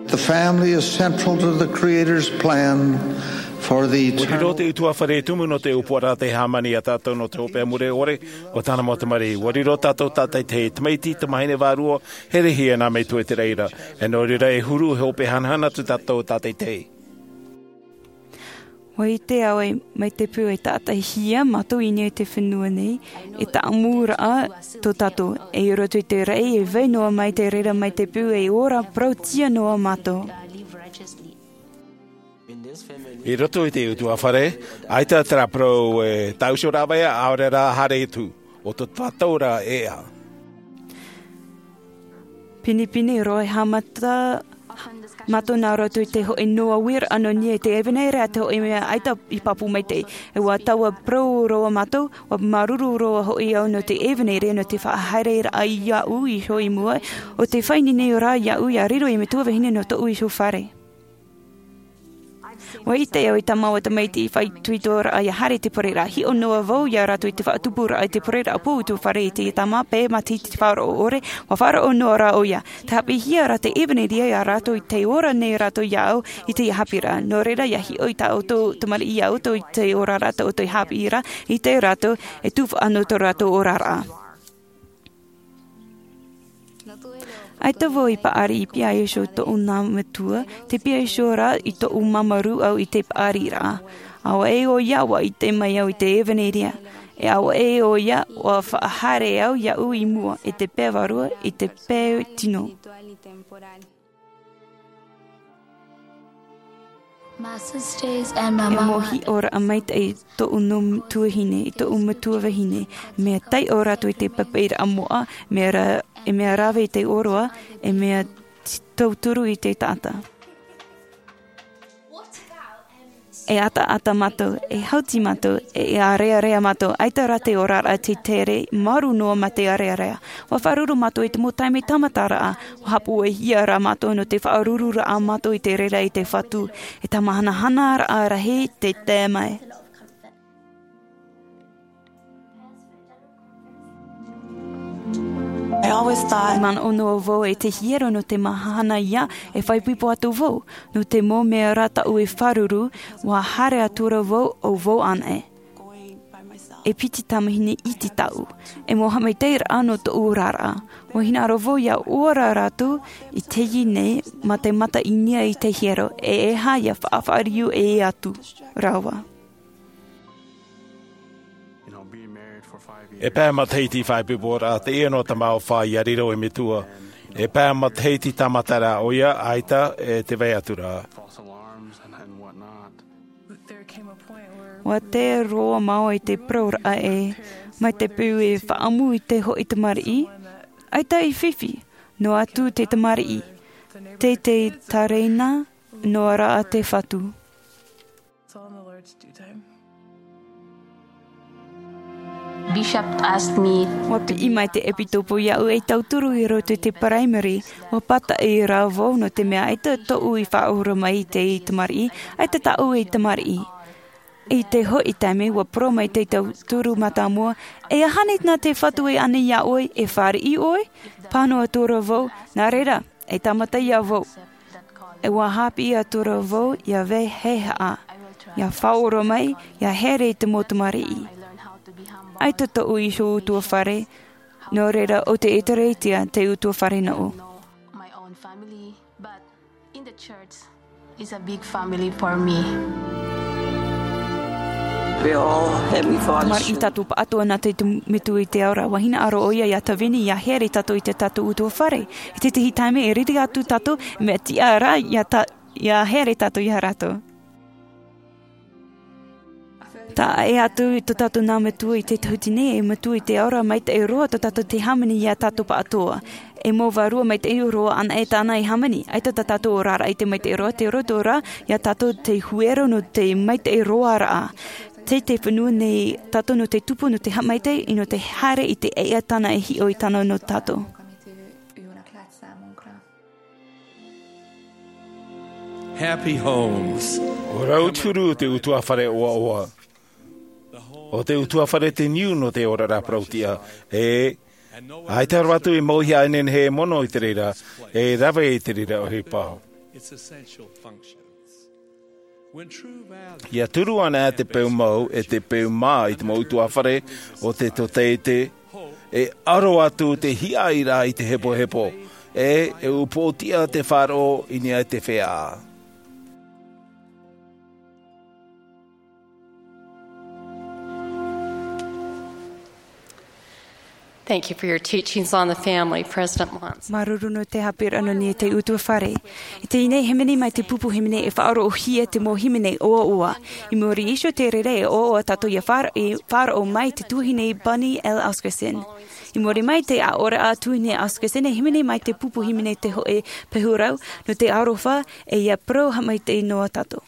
The family is central to the Creator's plan for the eternal. Riro te ʻutuāfare tumu nō te ʻōpuaraʻa tei hāmani ia tātou nō te hopeʻa mure ʻore, ʻo tāna mau tamariʻi. ʻUa riro tātou tātaʻitahi, tamaiti, tamāhine vārua, herehia nā Metua i te reira. E nō reira e huru, e hope hanahana atu tātou tātaʻitahi. ʻUa ʻite au ē, mai te peu e tātaʻihia mātou i niʻa i te fenua nei, e tāʻamuraʻa tō tātou, e i roto i te raʻi, e vai noa mai te reira mai te peu e ora parautia noa mātou. I roto i te ʻutuāfare, ʻaita terā parau e tāʻuso rāveʻa, ʻaore rā haere atu, ʻo tō tātou rā ʻēʻa. Pinepine roa e haʻamata mātou nā roto i te hōʻē noa uiraʻa nō niʻa i te ʻevanelia, te hōʻē mea ʻaita i pāpū maitaʻi. E ʻua taua parau roa mātou, ʻua māuruuru roa hoʻi au nō te ʻevanelia, nō te faʻahaereraʻa iāʻu iho i mua, ʻo te faʻaineine rā iāʻu ia riro ei metua vahine nō tōʻu iho fare. ʻUa ʻite au i tā māua tamaiti faʻaitoitoraʻa ia haere i te parau ra, hiʻo noa vau ia rātou i te faʻatupuraʻa i te parau ra, pō ʻutuāfare i te tāmā, pē matahiti te faʻaroʻo ʻore, ʻua faʻaroʻo noa rā ʻoia. Tē haʻapiʻihia ra te ʻevanelia ia rātou i te ora nei rātou iāʻu i teie haʻapiʻiraʻa. Nō reira, ia hiʻo i tā ʻoutou tamariʻi iā ʻoutou i te oraraʻa tā ʻoutou i haʻapiʻi ra, ʻite rātou, e tufaʻa nō tō rātou oraraʻa. ʻAita vau i paʻari i piha iho i tōʻu nā metua, tē piha iho rā i tōʻu māuruuru au i te paʻariraʻa. ʻAua ʻē ʻoia ʻua ʻite mai au i te ʻevanelia. E ʻaua ʻē ʻoia ʻua faʻahaere au iāʻu i mua, i te pae vārua, i te pae tino. E mau hiʻoraʻa maitaʻi i tōʻu nō tuahine, i tōʻu metua vahine, mea taiʻo rātou i te papaʻiraʻa moʻa, mea ra-, e mea rave i te ʻōroʻa, e mea t-, tauturu i te taʻata. E ʻataʻata mātou, e hauti mātou, e, e ʻārearea mātou, ʻaita rā te oraraʻa tē tere, māuruuru noa mā te ʻārearea. ʻUa faʻaroʻo mātou i te mau taime tāmataraʻa, ʻua haʻapuʻehia rā mātou nō te faʻaroʻoraʻa a mātou i te reira i te Fatu, e tā māhanahanaraʻa rahi tē tae mai. I manaʻo noa vau e te hiero nō te mahana ia e faʻaipoipo atu vau, nō te mau mea rā tāʻu e faʻaroʻo, ʻua haere atu ra vau ʻo vau anaʻe. E piti tamahine iti tāʻu, e mau haʻamaitaʻiraʻa nō tōʻu oraraʻa. ʻUa hinaʻaro vau ia ora rātou i teie nei mā te mata i niʻa i te hiero, e ʻeiaha ia faʻafaʻariʻi ʻē atu rāua. E pae matahiti faʻaipoiporaʻa teie nō te mau fā ia riro ei metua. E pae matahiti tāmata rā ʻoia, ʻaita e tē vai atu ra. ʻUa tae roa māua i te parauraʻa ē, mai te peu e faʻaʻamu i te hōʻē tamariʻi, ʻaita i fifi, noa atu te tamariʻi, tē, tē tereina noa ra te Fatu. Bishop asked me. ʻUa piʻi mai te ʻepitopo iāʻu ei tauturu i roto i te paraimere, ʻua pātaʻi rā vau nō te mea ʻaita tōʻu i faʻaora mai i te tamariʻi, ʻaita tāʻu ei tamariʻi. I te hoʻi taime, ʻua parau mai te tauturu mātāmua, e aha nei nā te Fatu e ani iā ʻoe, e fāriʻi ʻoe? Pāhono atu ra vau, nā reira, e tāmata iā vau. E ʻua haʻapiʻi atu ra vau, ʻia vaiiho, ʻia faʻaora mai, ʻia haere i te mau tamariʻi. ʻAita tōʻu iho ʻutuāfare, nō reira ʻo te ʻĒtārētia te ʻutuāfare nōʻu. My own family, but in the church is a big family for me. We're all Heavenly Father Tamariʻi children. Tātou pāʻatoʻa nā te tu-, metua i te ao ra, ʻua hinaʻaro ʻoia iā Tavini, ʻia haere tātou i te tātou ʻutuāfare. I tētahi taime e riri atu tātou, mea tiʻa rā, ʻia ta-, ʻia haere tātou iā rātou. Taʻa ʻē atu i tō tātou nā metua i te tahuti nei, e Metua i te ao ra, maitaʻi roa tō tātou te hāmani iā tātou pāʻatoʻa. E mau vārua maitaʻi roa anaʻe tāna e hāmani. ʻAita tā tātou oraraʻa i te maitaʻi roa, te roto rā, iā tātou te huero nō te maitaʻi roaraʻa. Tei te fenua nei tātou nō te tupu, nō te haʻamaitaʻi, nō te haere i te ʻēʻa tāna e hiʻo i tāna nō tātou. Happy homes. ʻO rātou te huru o te ʻutuāfare ʻoaʻoa. ʻO te ʻutuāfare te niu nō te oraraʻa parauʻtiʻa. E, ʻaita rātou e mauihaʻa e nehenehe e mono i te reira, e rave i te reira ʻohipa. It's essential functions. When true values ʻIa turu ana te peu mau, e te peu mā i te mau ʻutuāfare o te tōtaiete, e aro atu te hiaʻai ra i te hepohepo, e, e upoʻotiʻa te faʻaroʻo i niʻa i te feiā. Thank you for your teachings on the family, President Monson. Māuruuru nō te haʻapiʻiraʻa nō niʻa i te ʻutuāfare. I teie nei hīmene mai te pupu hīmene e faʻaroʻohia te mau hīmene ʻoaʻoa. I muri iho i te reira e ʻoaʻoa tātou ʻia faʻa-, e faʻaroʻo mai te tuahine Bonnie L. Oscarson. I muri mai te aʻoraʻa a tuahine Oscarson e hīmene mai te pupu hīmene te hōʻē pahurau nō te aroha e ʻia parau haʻamaitaʻi noa tātou.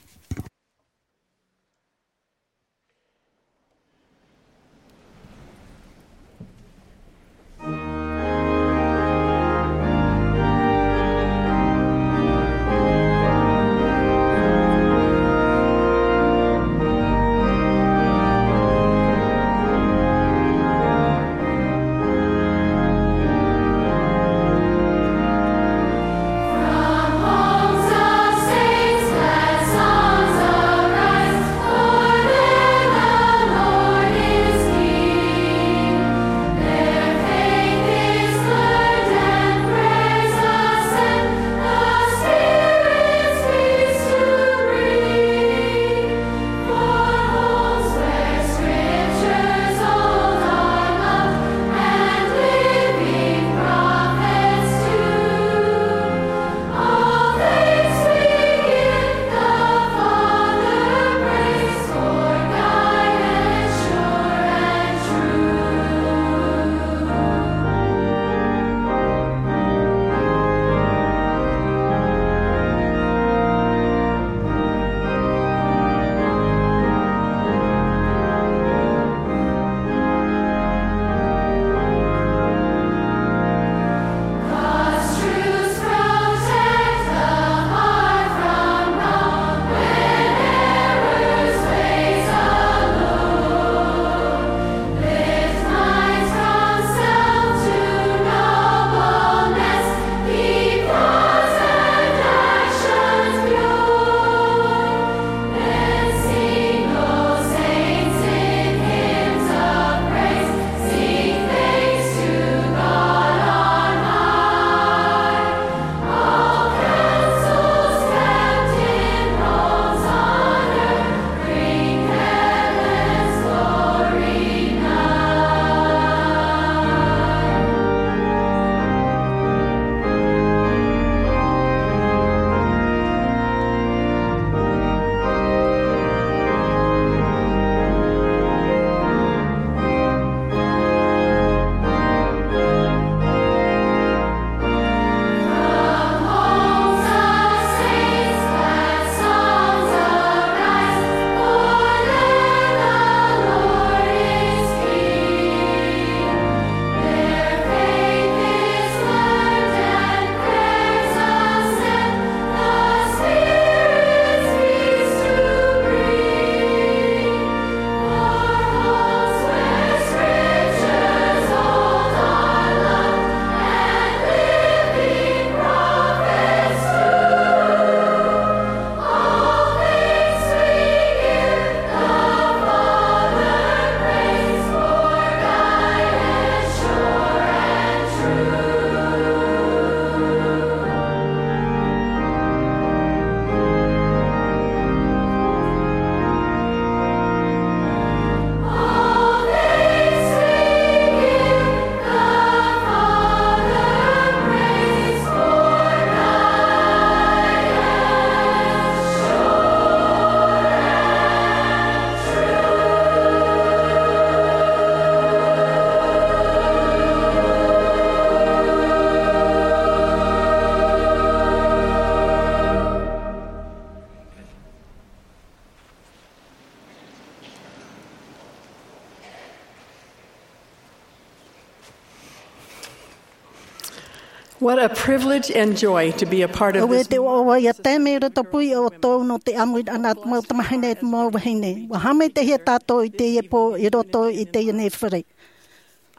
What a privilege and joy to be a part of this. Auē te ʻoaʻoa ia tae mai roto pū ia ʻoutou nō te ʻāmuiraʻa nā te mau tamahine e te mau vahine. ʻUa haʻamaitaʻihia tātou i teie pō i roto i teie nei fare.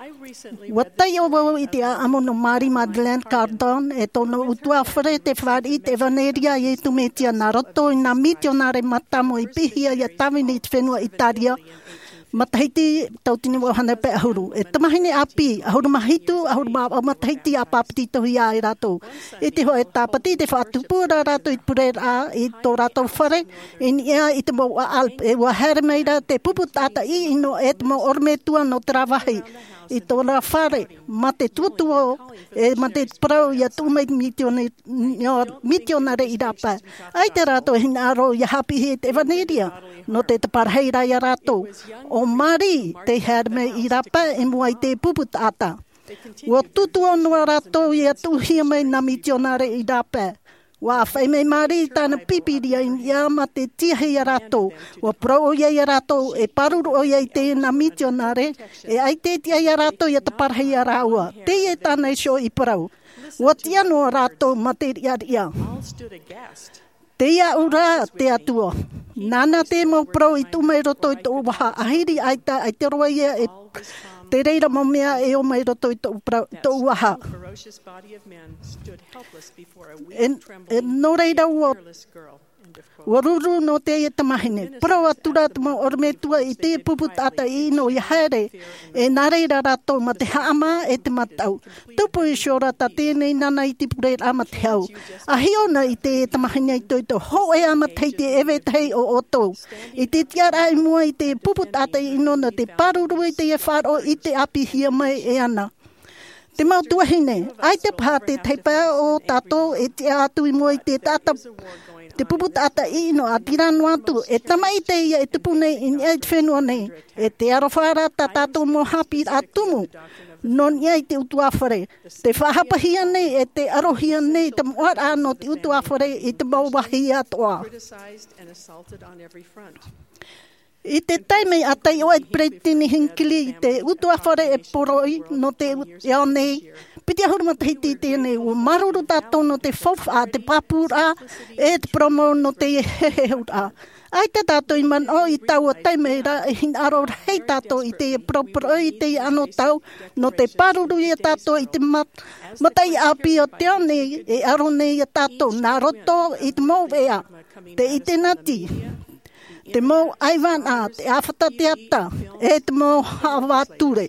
ʻUa taiʻo vau i te ʻāʻamu nō Mary Madeleine Cardon, e tōna ʻutuāfare, tē fāriʻi i te ʻevaneria a Iesu Mesia nā roto i nā mitionare mātāmua i piʻihia ia tāvini i te fenua ʻĪtālia, matahiti tauatini vaʻu hānere pae ʻahuru. E tamahine ʻāpī, ʻahuru mā hitu, ʻahuru mā vaʻu matahiti a pāpetitohia ai rātou. I te hōʻē Tāpati, tē faʻatupu ra rātou i te pureraʻa i tō rātou fare, i niʻa i te mouʻa Alps, e ʻua haere mai ra te pupu taʻata ʻino e te mau ʻorometua nō terā vāhi, i tō rātou fare, mā te tuotuo, e mā te parau ia tuʻu mai mitionare, mitionare i rāpae. ʻAita rātou e hinaʻaro ia haʻapiʻihia i te ʻevaneria, nō te taparahi ra ia rātou. ʻO Mary tei haere mai i rāpae i mua i te pupu taʻata. ʻUa tuotuo noa rātou ia tuʻuhia mai nā mitionare i rāpae. ʻUa ʻāfaʻi mai Mary i tāna Pīpīria i niʻa mā te tiahi ia rātou. ʻUa parau ʻoia ia rātou, e pāruru ʻoia i teie nā mitionare, e ʻaita e tiʻa ia rātou ia taparahi ia rāua. Teie tāna iho i parau. ʻUa tiʻa noa rātou mā te riʻariʻa. Tei au ra te Atua. Nāna te mau parau i tuʻu mai roto i tōʻu vaha, ʻahiri ʻaita, ʻaita roa ia e te reira mau mea e ō mai roto i tōʻu parau, tōʻu vaha. E, e nō reira ʻua, ʻua ruru nō teie tamahine. Parau atu ra te mau ʻorometua i te pupu taʻata ʻino ia haere, e nā reira rātou mā te haʻamā e te mataʻu. Tupu iho ra tā teie nei nāna i te pureraʻa mā te hau. ʻA hiʻo na i te tamahine itoito, hōʻē ā matahiti e vetahi o ʻoutou. I te tiʻaraʻa i mua i te pupu taʻata ʻino nō te pāruru i teie faʻaroʻo i te ʻāpīhia mai e ana. Te mau tuahine, ʻaita paha te taipae o tātou e tiʻa atu i mua i te taʻata, te pupu taʻata ʻino, ʻa terā noa atu, e tamaʻi teie e tupu nei i niʻa i te fenua nei, e te aroha ra tā tātou mau haʻapiʻiraʻa tumu, nō niʻa i te ʻutuāfare. Tē faʻahapahia nei, e tē arohia nei te moʻaraʻa nō te ʻutuāfare i te mau vāhi atoʻa. I te taime ʻa taiʻo ai te Peretiteni Hinckley i te ʻutuāfare e poroʻi nō te ao nei, piti ʻahuru matahiti i teie nei, ʻua māuruuru tātou nō te faufaʻa, te pāpūraʻa, e te parau mau nō te heheuraʻa. ʻAita tātou i manaʻo i taua taime ra, e hinaʻaro rahi tātou i te parauparau i teie anotau, nō te pāruru ia tātou i te mat-, mataʻi ʻāpī o te ao nei, e aro nei ia tātou, nā roto i te mau veʻa, te ʻitenati, te mau ʻaivānaʻa, te ʻāfata teata, e te mau haʻavā ture.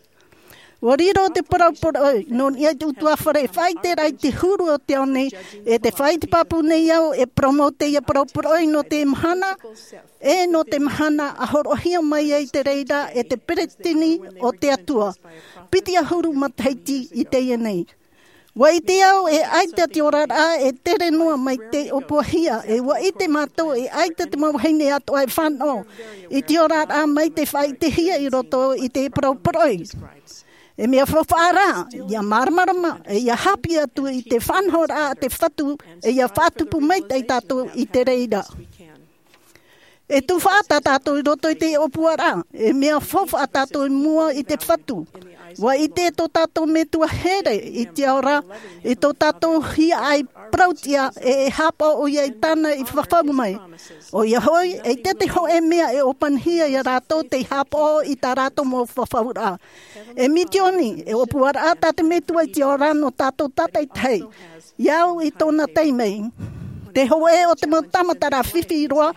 ʻUa riro te parauparau nō niʻa i te ʻutuāfare, faʻaʻite ra i te huru o te ao nei, e tē faʻaʻite pāpū nei au, e parau mau teie parauparau nō te mahana, e nō te mahana ʻa hōroʻahia mai ai te reira e te Peretiteni o te Atua. Piti ʻahuru matahiti i teie nei. ʻUa ʻite au e ʻaita te oraraʻa e tere noa mai te ʻōpuahia, e ʻua ʻite mātou e ʻaita te mau vahine atoʻa e fānaʻo i te oraraʻa mai te faʻaʻitehia i roto i te parauparau. E mea faufaʻa rā, ʻia māramarama, e ʻia haʻapiʻi atu i te faʻanahoraʻa a te Fatu, e ʻia faʻatupu maitaʻi tātou i te reira. E tufaʻa tā tātou i roto i te ʻōpuaraʻa, e mea faufaʻa tātou i mua i te Fatu. ʻUa ʻite tō tātou Metua here i te ao ra, i tō tātou hiaʻai parauʻtiʻa, e, e haʻapaʻo ʻoia i tāna i fafau mai. ʻOia hoʻi, ʻeita te hōʻē mea e ʻōpanihia ia rātou tei haʻapaʻo i tā rātou mau fafauraʻa. E misiōni, e ʻōpuaraʻa tā te Metua i te ao ra nō tātou tātaʻitahi. I au i tōna taime, te hōʻē o te mau tāmataraʻa fifi roa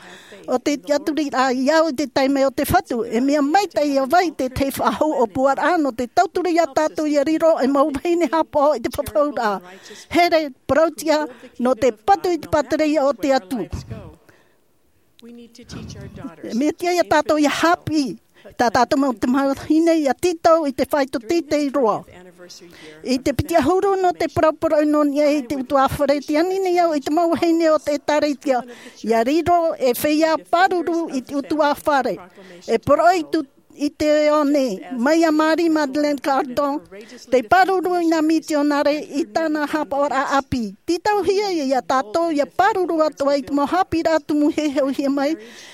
o te tiʻaturiraʻa i au i te taime o te Fatu, e mea maitaʻi ʻia vai te tahi faʻahou ʻōpuaraʻa nō te tauturu ia tātou ʻia riro ei mau vahine haʻapaʻo i te fafauraʻa. Here, parauʻtiʻa, nō te patu i te pātireia o te Atua. E mea tiʻa ia tātou ʻia haʻapiʻi tā tātou mau tamahine ʻia tītau i te faito teitei roa. I te piti ʻahuru nō te parauparau nō niʻa i te ʻutuāfare, tē ani nei au i te mau vahine o te ʻĒtārētia ʻia riro ei feiā pāruru i te ʻutuāfare. E poroʻi atu i te ao nei, mai iā Mary Madeleine Cardon, tei pāruru i nā mitionare i tāna haʻapaʻoraʻa ʻāpī. Tītauhia ia tātou ʻia pāruru atoʻa i te mau haʻapiʻiraʻa tumu e heheuhia mai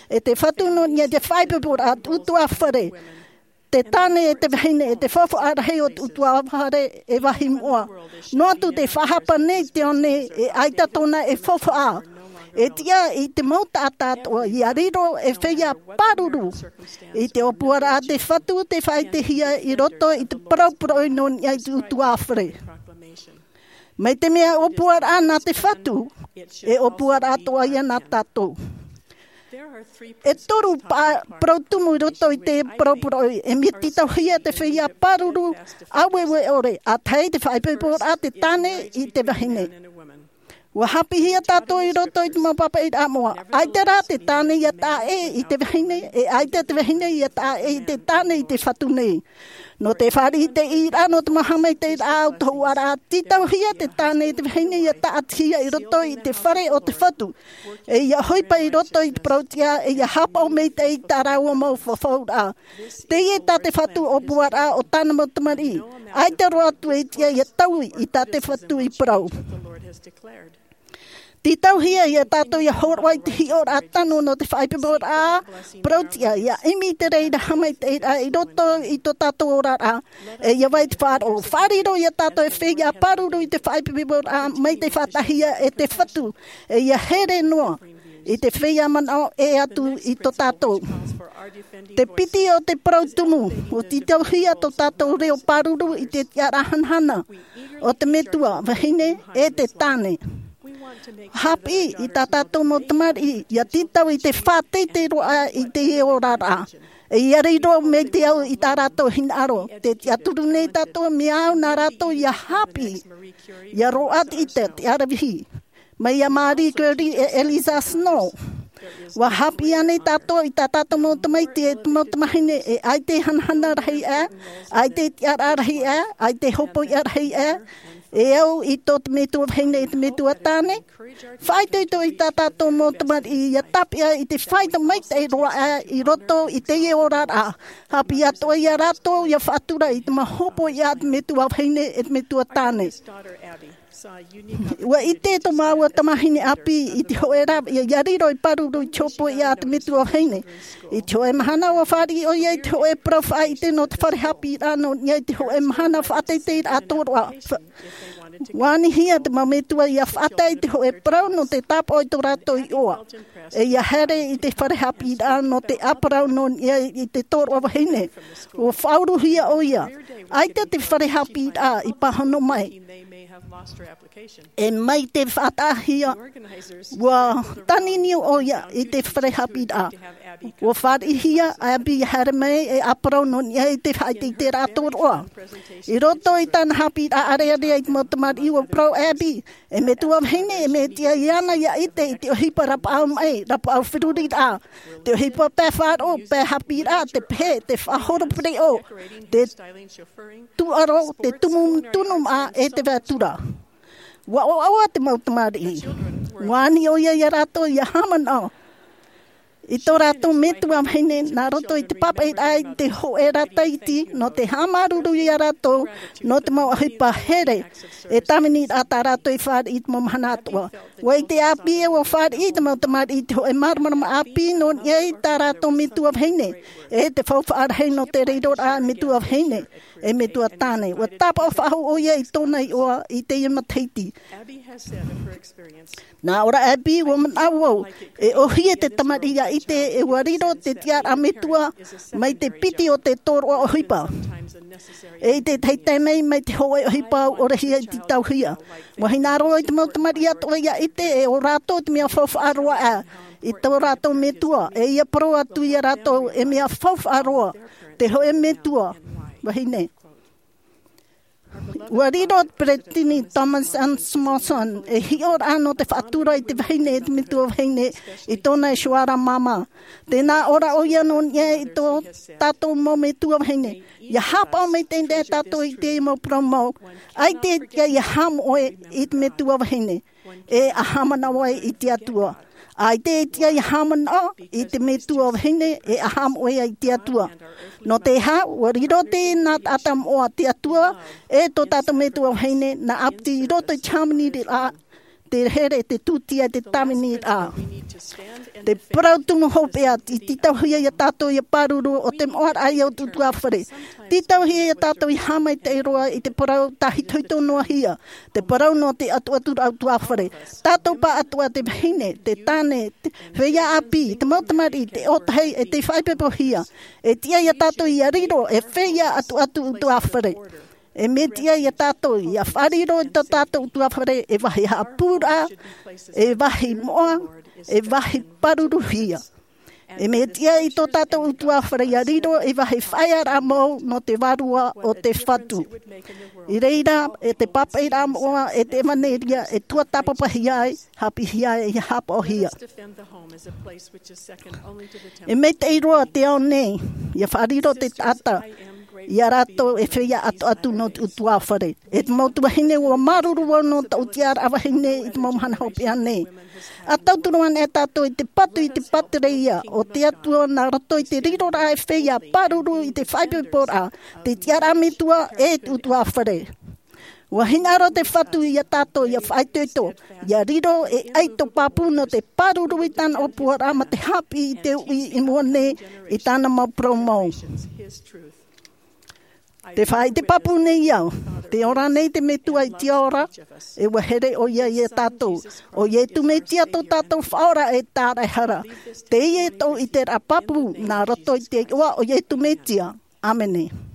e te Fatu nō niʻa i te faʻaipoiporaʻa a te ʻutuāfare. te tāne e te vahine e te faufaʻa rahi o te utuafare e vāhi moʻa. Noa atu te faʻahapa nei te ao nei e ʻaita tōna e faufaʻa. E tiʻa i te mau taʻata atoʻa ia riro e feiā pāruru. I te ʻōpuaraʻa a te Fatu te faʻaʻitehia i roto i te parau poroʻi nō niʻa i te utuafare. Mai te mea ʻōpuaraʻa nā te Fatu, e ʻōpuaraʻa atoʻa ia nā tātou. E toru pa-, parau tumu i roto i te parau poroʻi, e mea tītauhia te feiā pāruru, ʻāueue ʻore, ʻa tahi te faʻaipoiporaʻa te tāne i te vahine. Ua hāpiʻihia tātou i roto i te mau pāpaʻiraʻa moʻa. ʻAita rā te tāne ia taʻa ʻē i te vahine, e ʻaita te vahine ia taʻa ʻē i te tāne i te Fatu nei. Nō te fāriʻi i te ʻīraʻa, nō te mau haʻamaitaʻiraʻa ʻau tohuʻaraʻa, tītauhia te tāne i te vahine ia taʻatihia i roto i te fare o te Fatu. E ia ʻohipa i roto i te parau tiʻa, e ia haʻapaʻo maitaʻi i tā rāua mau fafauraʻa. Teie tā te Fatu ʻōpuaraʻa o tāna mau tamariʻi. ʻAita roa atu e tiʻa ia taui i tā te Fatu i parau. Tītauhia ia tātou ia hōroʻa i te hiʻoraʻa tano nō te faʻaipoiporaʻa parau tiʻa, ia ʻimi i te reira haʻamaitaʻiraʻa i roto i tō tātou oraraʻa. E ia vai te faʻaroʻo, faʻariro ia tātou e feiā pāruru i te faʻaipoiporaʻa mai te faʻataʻahia e te Fatu. E ia here noa i te feiā manaʻo e atu i tō tātou. Te piti o te parau tumu, ʻua tītauhia tō tātou reo pāruru i te tiʻaraʻa hanahana o te metua vahine e te tāne. Hāpiʻi i tā tātou mau tamariʻi ia tītau i te faʻateitei roa i teie oraraʻa. E ia riro mai te au i tā rātou hinaʻaro, tē tiʻaturi nei tātou mea au nā rātou ia hāpiʻi, ia roaʻa te ʻite, te aravihi. Mai iā Marie Curie e Eliza Snow. ʻUa hāpiʻi ānei tātou i tā tātou mau tamaiti e te mau tamahine e ʻaita e hanahana rahi aʻe, ʻaita e tiʻaraʻa rahi aʻe, ʻaita e hōpoiʻa rahi aʻe, e au i tō te metua vahine e te metua tāne? Faʻaitoito i tā tātou mau tamariʻi ia tāpeʻa i te faʻaʻite maitaʻi roa aʻe i roto i teie oraraʻa. Hāpiʻi atoʻa ia rātou ia faʻatura i te mau hōpoiʻa a te metua vahine e te metua tāne. ʻUa ʻite tō māua tamahine ʻāpī i te hōʻē rāveʻa ia riro ei pāruru i te hōpoiʻa a te metua vahine. I te hōʻē mahana ʻua fāriʻi ʻoia i te hōʻē parau faʻaʻite nō te fare haʻapiʻiraʻa nō niʻa i te hōʻē mahana faʻateiteiraʻa tōroʻa. Fa-, ʻua anihia te mau metua ia faʻatae i te hōʻē parau nō te tāpaʻo i tō rātou iʻoa. E ia haere i te fare haʻapiʻiraʻa nō te ʻāparau nō niʻa i te tōroʻa vahine. ʻUa faʻauruhia ʻoia. ʻAita te fare haʻapiʻiraʻa i pāhono mai. E mai te faʻataʻahia, ʻua tāniniu ʻoia i te fare haʻapiʻiraʻa. ʻUa fāriʻihia ʻo Abby ia haere mai e ʻāparau nō niʻa i te faʻateiteiraʻa tōroʻa. I roto i tāna haʻapiʻiraʻa ʻarearea i te mau tamariʻi, ʻua parau ʻo Abby, e metua vahine, e mea tiʻa iāna ia ʻite i te ʻohipa rapaʻau maʻi, rapaʻau feruriraʻa, te ʻohipa pae faʻaroʻo, pae haʻapiʻiraʻa, te pehe, te faʻahoro pereʻoʻo, te tūʻaro, te tumu tunu maʻa e te vātura. ʻUa ʻoaʻoa te mau tamariʻi. ʻUa ani ʻoia ia rātou ia haʻamanaʻo i tō rātou metua vahine nā roto i te pāpaʻiraʻa i te hōʻē rā taiti nō te haʻamāuruuru ia rātou nō te mau ʻohipa here. E tāviniraʻa tā rātou i fāriʻi i te mau mahana atoʻa. ʻUa ʻite ʻo Abby ē ʻua fāriʻi te mau tamariʻi i te hōʻē māramarama ʻāpī nō niʻa i tā rātou metua vahine, e te faufaʻa rahi nō te reiroraʻa metua vahine e metua tāne. ʻUa tāpaʻo faʻahou ʻoia i tōna iʻoa i teie matahiti. Nā ʻō ra ʻo Abby, ʻua manaʻo au, e ʻōhie te tamariʻi ia ʻite e ʻua riro te tiʻaraʻa metua mai te piti o te tōroʻa ʻohipa. E i te tahi taime mai te hōʻē ʻohipa ʻaore hia i tītauhia. ʻUa hinaʻaro i te mau tamariʻi atoʻa ia ʻite e ʻo rātou te mea faufaʻa roa aʻe i tō rātou metua, e ia parau atu ia rātou e mea faufaʻa roa te hōʻē metua vahine. ʻUa riro ʻo Peretiteni Thomas S. Monson ei hiʻoraʻa nō te faʻatura i te vahine e te metua vahine i tōna iho ra māmā. Tē nā ʻō ra ʻoia nō niʻa i tō tātou mau metua vahine. Ia haʻapaʻo maitaʻi nei tātou i te mau parau mau. ʻAita e tiʻa ia haʻamoʻe i te metua vahine e ʻa haʻamanaʻo ai i te Atua. ʻAita e tiʻa ia haʻamanaʻo i te metua vahine e ʻa haʻamoʻe ai i te Atua. Nō te aha? ʻUa riro teie nā taʻata moʻa te Atua, e tō tātou metua vahine nā ʻāpiti i roto i te hāmaniraʻa te here, te tūtia, te tāviniraʻa. Te parau tumu hopeʻa, i tītauhia ia tātou ia pāruru, ʻo te moʻaraʻa ia o te ʻutuāfare. Tītauhia ia tātou ia haʻamaitaʻi roa i te parau tāhitohito noa hia, te parau nō te ʻatuʻaturaʻa ʻutuāfare. Tātou pāʻatoʻa, te vahine, te tāne, te feiā ʻāpī, te mau tamariʻi, te ʻōtahi, e tei faʻaipoipohia. E tiʻa ia tātou ia riro ei feiā ʻatuʻatu ʻutuāfare. E mea tiʻa ia tātou ia faʻariro i tō tātou ʻutuāfare ei vāhi haʻapūraʻa, ei vāhi moʻa, ei vāhi pāruruhia. E mea tiʻa i tō tātou ʻutuāfare ia riro ei vāhi faʻaearaʻa mau nō te vārua o te Fatu. I reira, e te pāpaʻiraʻa moʻa, e te ʻevanelia, e tuatāpapahia ai, haʻapiʻihia ai, e haʻapaʻohia. E maitaʻi roa te ao nei, ia faʻariro te taʻata ia rātou ei feiā ʻatuʻatu nō te ʻutuāfare. E te mau tuahine, ʻua māuruuru vau nō tōʻu tiʻaraʻa vahine i te mau mahana hopeʻa nei. ʻA tauturu anaʻe tātou i te patu, i te pātireia o te Atua nā roto i te riroraʻa ei feiā pāruru i te faʻaipoiporaʻa, te tiʻaraʻa metua, e te ʻutuāfare. ʻUa hinaʻaro te Fatu ia tātou ia faʻaitoito, ia riro ei ʻaito pāpū nō te pāruru i tāna ʻōpuaraʻa mā te haʻapiʻi i te uʻi i mua nei i tāna mau parau mau. Te faʻaʻite pāpū nei au, tē ora nei te Metua i te ao ra, e ʻua here ʻoia ia tātou. ʻO Iesu Mesia tō tātou Faʻaora e Tāraʻehara. Teie tōʻu ʻiteraʻa pāpū, nā roto i te iʻoa o Iesu Mesia. ʻĀmene.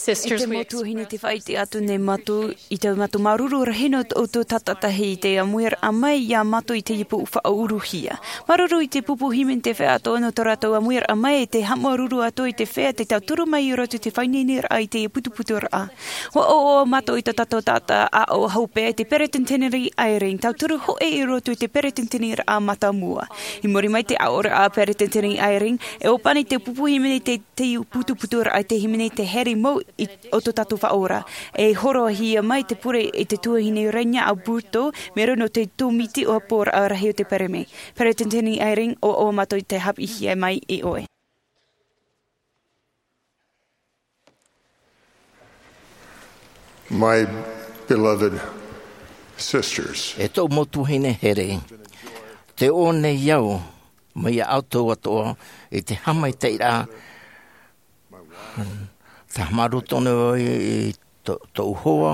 Sisters, e te mau tuahine, te faʻaʻite atu nei mātou i te mātou māuruuru rahi nō tō ʻoutou tātaʻitahi i te ʻāmuiraʻa mai iā mātou i teie pō faʻauruhia. Māuruuru i te pupu hīmene, te feiā atoʻa nō tō rātou ʻāmuiraʻa mai, e te haʻamāuruuru atoʻa i te feiā tei tauturu mai i roto i te faʻaineineraʻa i teie putuputuraʻa. ʻUa ʻoaʻoa mātou i tō tātou taʻata ʻāʻau hopeʻa, te Peretiteni Eyring, tauturu hōʻē i roto i te peretiteniraʻa mātāmua. I muri mai te ʻāʻauraʻa a Peretiteni Eyring, e ʻōpani te pupu hīmene i te, te putuputuraʻa i te hīmene i te here mau i, o tō tātou Faʻaora. E hōroʻahia mai te pure i te tuahine Renia Alberto, mai roto i te tōmiti ʻōpuaraʻa rahi o te Pereme. Peretiteni Eyring, ʻoaʻoa mātou i te haʻapiʻihia mai iā ʻoe. My beloved sisters, e tōʻu mau tuahine here, tē ʻō nei au mai iā ʻoutou atoʻa i te haʻamaitaʻiraʻa, te haʻamāuruuru tonu i tō, tōʻu hoa,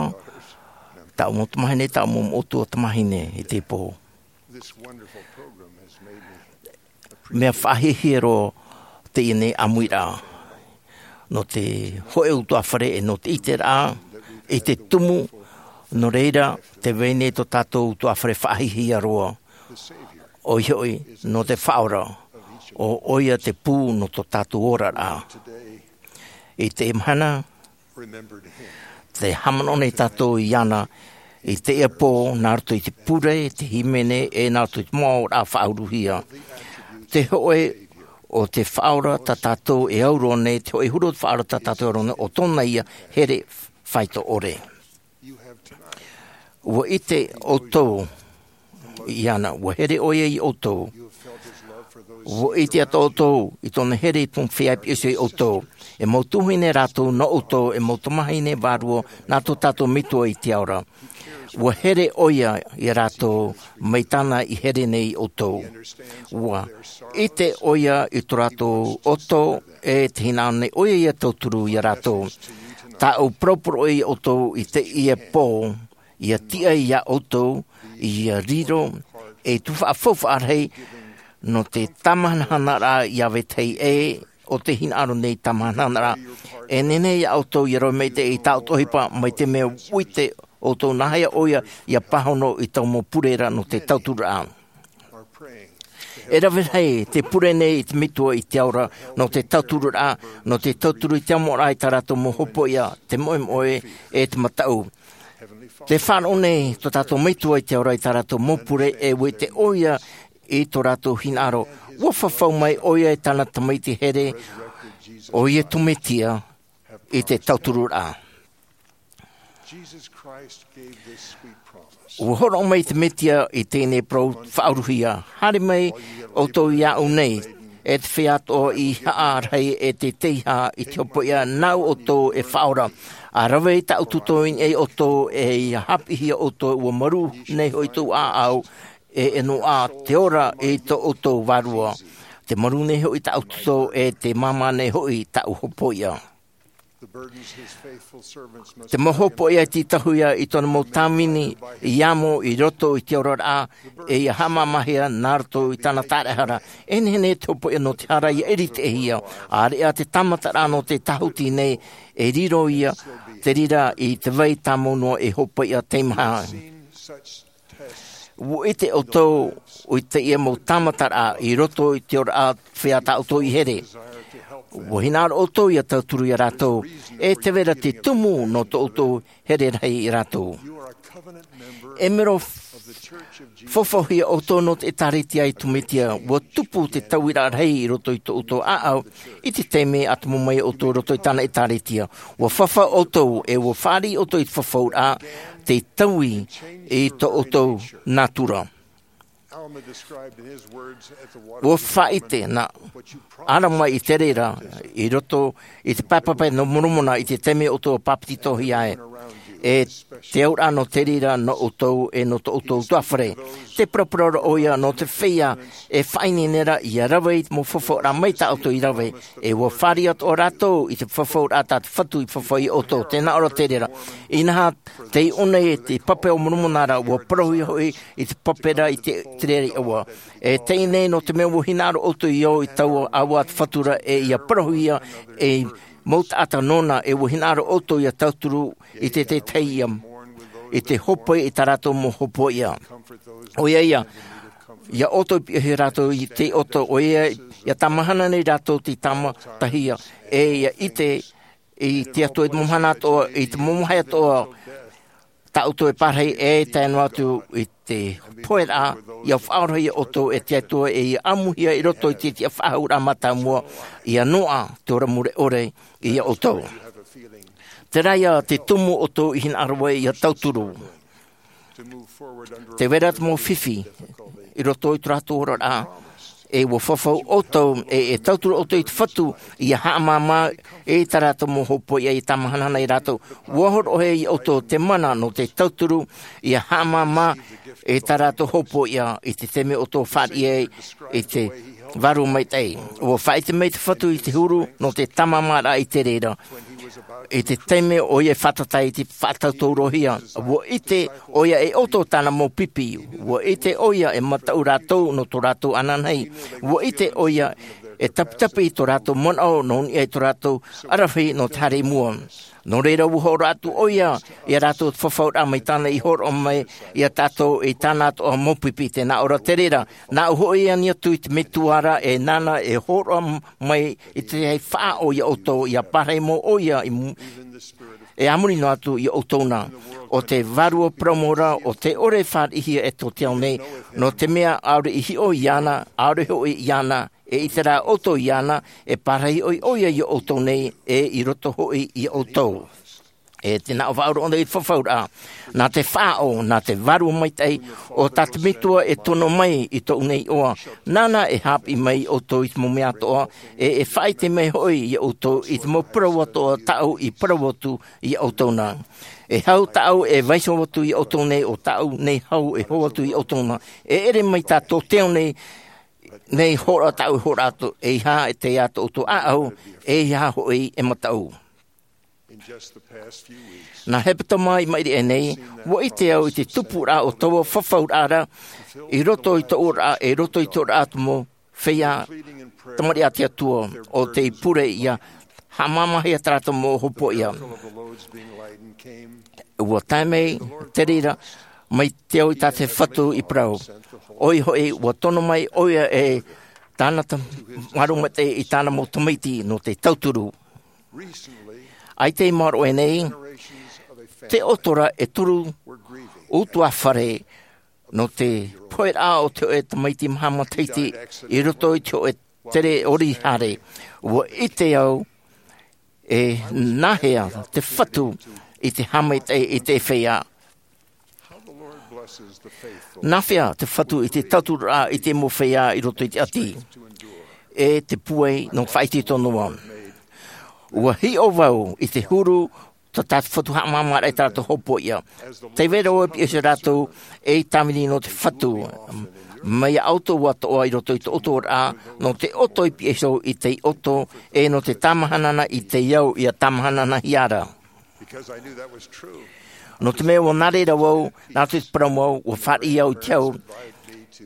tāʻu mau tamāhine, tāʻu mau moʻotua tamāhine i teie pō. Mea faʻahiahia roa teie nei ʻāmuiraʻa nō te hōʻē ʻutuāfare e nō te ʻiteraʻa i te tumu, nō reira, tē vai nei tō tātou ʻutuāfare faʻahiahia roa, ʻoia hoʻi, nō te Faʻaora, ʻo, ʻoia te pū nō tō tātou oraraʻa. I teie mahana, tē haʻamanaʻo nei tātou iāna i teie pō, nā roto i te pure, te hīmene, e nā roto i te mau ʻāʻauraʻa faʻauruhia. Te hōʻē o te Faʻaora tā tātou e au roa nei, te hōʻē huru o te Faʻaora tā tātou e au roa nei, ʻo tōna ïa here faito ʻore. ʻUa ʻite ʻoutou iāna, ʻua here ʻoia iā ʻoutou. ʻUa ʻite atoʻa ʻoutou i tōna here i te mau feiā i piʻi iho iā ʻoutou. E mau tuahine rātou nō ʻoutou, e mau tamāhine vārua nā tō tātou Metua i te ao ra. ʻUa here ʻoia iā rātou mai tāna i here nei iā ʻoutou. ʻUa ʻite ʻoia i tō rātou ʻoto, e tē hinaʻaro nei ʻoia ʻia tauturu iā rātou. Tāʻu parauparau iā ʻoutou i teie pō, ʻia tiʻa iā ʻoutou, ʻia riro ei tuhaʻa faufaʻa rahi nō te tāmahanahanaraʻa iā vetahi ʻē, ʻo tē hinaʻaro nei tāmahanahanaraʻa. E nehenehe iā ʻoutou ʻia rave maitaʻi i tā ʻoutou ʻohipa, mai te mea ʻua ʻite ʻoutou nāhea ʻoia ʻia pāhono i taua mau pure ra nō te tauturu ra. E rave rahi te pure nei i te Metua i te ao ra, nō te tauturu ra, nō te tauturu i te amoraʻa i tā rātou mau hopoiʻa, te moemoe, e te mataʻu. Tē faʻaroʻo nei tō tātou Metua i te ao ra i tā rātou mau pure, e ʻua ʻite ʻoia i tō rātou hinaʻaro. ʻUa fafau mai ʻoia e tāna Tamaiti here, ʻo Iesu Mesia, i te tauturu ra. ʻUa hōroʻa mai te Mesia i teie nei parau faʻauruhia: Haere mai ʻoutou iāʻu nei, e te feiā atoʻa i haʻa rahi e te teiaha i te hopoiʻa, nāʻu ʻoutou e faʻaora. ʻA rave i tāʻu toto i niʻa iā ʻoutou, e ʻia haʻapiʻihia ʻoutou, ʻua marū nei hoʻi tōʻu ʻāʻau, e ʻenoʻa te ora i tō ʻoutou vārua. Te marū nei hoʻi tāʻu toto, e te māmā nei hoʻi tāʻu hopoiʻa. Te mau hopoiʻa e tītauhia i tōna mau tāvini i amo i roto i te oraraʻa, e ʻia haʻamāmāhia nā roto i tāna taraehara. E nehenehe te hopoiʻa nō te hara ʻia ʻiriteʻihia, ʻāreʻa te tāmataraʻa nō te tāhuti nei, e riro ïa te reira i te vai tāmau noa e hopoiʻa teimaha. ʻUa ʻite ʻoutou i teie mau tāmataraʻa i roto i te oraraʻa, feiā tā ʻoutou i here. ʻUa hinaʻaro ʻoutou ʻia tauturu iā rātou, e tē vai ra te tumu nō tō ʻoutou here rahi iā rātou. E mero f-, faufauhia ʻoutou nō te ʻĒtārētia a Iesu Mesia. ʻUa tupu te tauiraʻa rahi i roto i tō ʻoutou ʻāʻau, i te taime a tumu mai ʻoutou i roto i tāna ʻĒtārētia. ʻUa fafau ʻoutou, e ʻua fāriʻi ʻoutou i te fafauraʻa, tei taui i tō ʻoutou nātura. ʻUa faʻaʻite nā Alama i te reira, i roto i te Pae Pape nō Moromona, i te taime ʻoutou ʻua pāpetitohia ai. E te auraʻa nō te reira nō ʻoutou, e nō tō ʻoutou ʻutuāfare. Tē paraparau ra ʻoia nō te feiā e faʻaineine ra ʻia rave i te mau fafauraʻa mai tā ʻoutou i rave, e ʻua fāriʻi atoʻa rātou i te fafauraʻa tā te Fatu i fafau iā ʻoutou. Tē nā ʻō ra te reira. Inaha, tei ʻō nei te Pape o Moromona ra, ʻua parauhia hoʻi i te pape ra i te, te reira iʻoa. E teie nei, nō te mea ʻua hinaʻaro ʻoutou i ō i taua ʻāua a te Fatu ra, e ʻia parauhia, e mau taʻata nōna, e ua hinaʻaro ʻoutou ia tauturu i te tētahi ia, i te hōpoi i tā rātou mau hōpoiʻa. ʻOia ia, ia ʻoutou piʻihia rātou i te ʻoto, ʻoia ia tāmahana nei rātou te tāmatahia, e ia ʻite i te Atua i te mau mahana atoʻa, i te mau vāhi atoʻa, tā ʻoutou e pārahi, e tae noa atu i te pohe ra, ia faʻaorahia ʻoutou e te Atua, e ia ʻamuhia i roto i te tiʻa faʻahou ra mātāmua, ia noaʻa te ora mure ʻore ia ʻoutou. Terā ia te tumu ʻoutou i hinaʻaro ai ia tauturu. Te vai ra te mau fifi i roto i tō rātou oraraʻa, e ua fafau ʻoutou, e, e tauturu ʻoutou i te Fatu, ia haʻamāmā i tā rātou mau hōpoiʻa, ia tāmahanahana ia rātou. Ua hōroʻahia ia ʻoutou te mana nō te tauturu, ia haʻamāmā i tā rātou hōpoiʻa, i te taime ʻoutou fāriʻi ai i te Vārua Maitaʻi. Ua faʻaʻite mai te Fatu i te huru nō te tāmāmāraʻa i te reira. I te taime ʻoia e fātata i te faʻatautaurohia, ua ʻite ʻoia e ʻoto tāna mau pipi, ua ʻite ʻoia e mataʻu rātou nō tō rātou ananahi, ua ʻite ʻoia e taputapu i tō rātou manaʻo nō niʻa i tō rātou aravihi nō te haere i mua. Nō reira, ua hōroʻa atu ʻoia ia rātou te fafauraʻa mai tāna i hōroʻa mai ia tātou i tāna atoʻa mau pipi. Tē nā ʻō ra te reira, nāʻu hoʻi e ani atu i te Metua ra, e nāna e hōroʻa mai i te faʻaʻo ia ʻoutou, ia pārahi mau ʻoia i mu-, e a muri noa atu ia ʻoutou na. ʻO te Vārua Parau Mau Ra, ʻo tē ʻore e fāriʻihia e tō te ao nei, nō te mea ʻaore i hiʻo iāna, ʻaore hoʻi iāna, e ʻite rā ʻoutou iāna, e pārahi hoʻi ʻoia ia ʻoutou nei, e i roto hoʻi ia ʻoutou. E tē nā ʻō faʻaroʻo nei i te fafauraʻa, nā te faʻaʻo, nā te Vārua Maitaʻi, ʻo tā te Metua e tono mai i tōʻu nei iʻoa, nāna e haʻapiʻi mai ia ʻoutou i te mau mea atoʻa, e, e faʻaʻite mai hoʻi ia ʻoutou i te mau parau atoʻa tāʻu i parau atu ia ʻoutou na. E hau tāʻu e vaiiho atu ia ʻoutou nei, ʻo tāʻu nei hau e hō atu ia ʻoutou na. E ʻere mai tā tō te ao nei, nei hōroʻa tāʻu e hōroʻa atu, ʻeiaha e tae atu tō ʻoutou ʻāʻau, ʻeiaha hoʻi e mataʻu. Nā hepetoma i maʻiri aʻe nei, ua ʻite au i te tupuraʻa o taua fafauraʻa ra, i roto i tōʻu oraraʻa, e i roto i te oraraʻa o te mau feiā tamariʻi a te Atua, ʻo tei pure ia haʻamāmāhia tā rātou mau hōpoiʻa. Ua tae mai te reira, mai te ao i tā te Fatu i parau. ʻOia hoʻi, ua tono mai ʻoia e tāna ta-, Vārua Maitaʻi i tāna mau tamaiti nō te tauturu. ʻAita i maoro aʻe nei, tē ʻoto ra e toru ʻutuāfare nō te poheraʻa o te hōʻē tamaiti maha matahiti i roto i te hōʻē tere ʻori haere. Ua ʻite au e nāhea te Fatu i te haʻamaitaʻi i te feiā. Nāhea te Fatu i te tauturu i te mau feiā i roto i te ʻati, e te pūai nō faʻaitoito noa. Ua hiʻo vau i te huru tā te Fatu haʻamāmāraʻa i tā rātou hōpoiʻa. Tē vai ra vau e pihaʻi iho ia rātou ei tāvini nō te Fatu. Mai ia ʻoutou atoʻa i roto i tō ʻoutou oraraʻa, nō te ʻoto i pihaʻi iho i tei ʻoto, e nō te tāmahanahana i tei au ia tāmahanahanahia ra. Nō te mea ua nā reira vau, nā roto i te parau mau, ua fāriʻi au i te hau,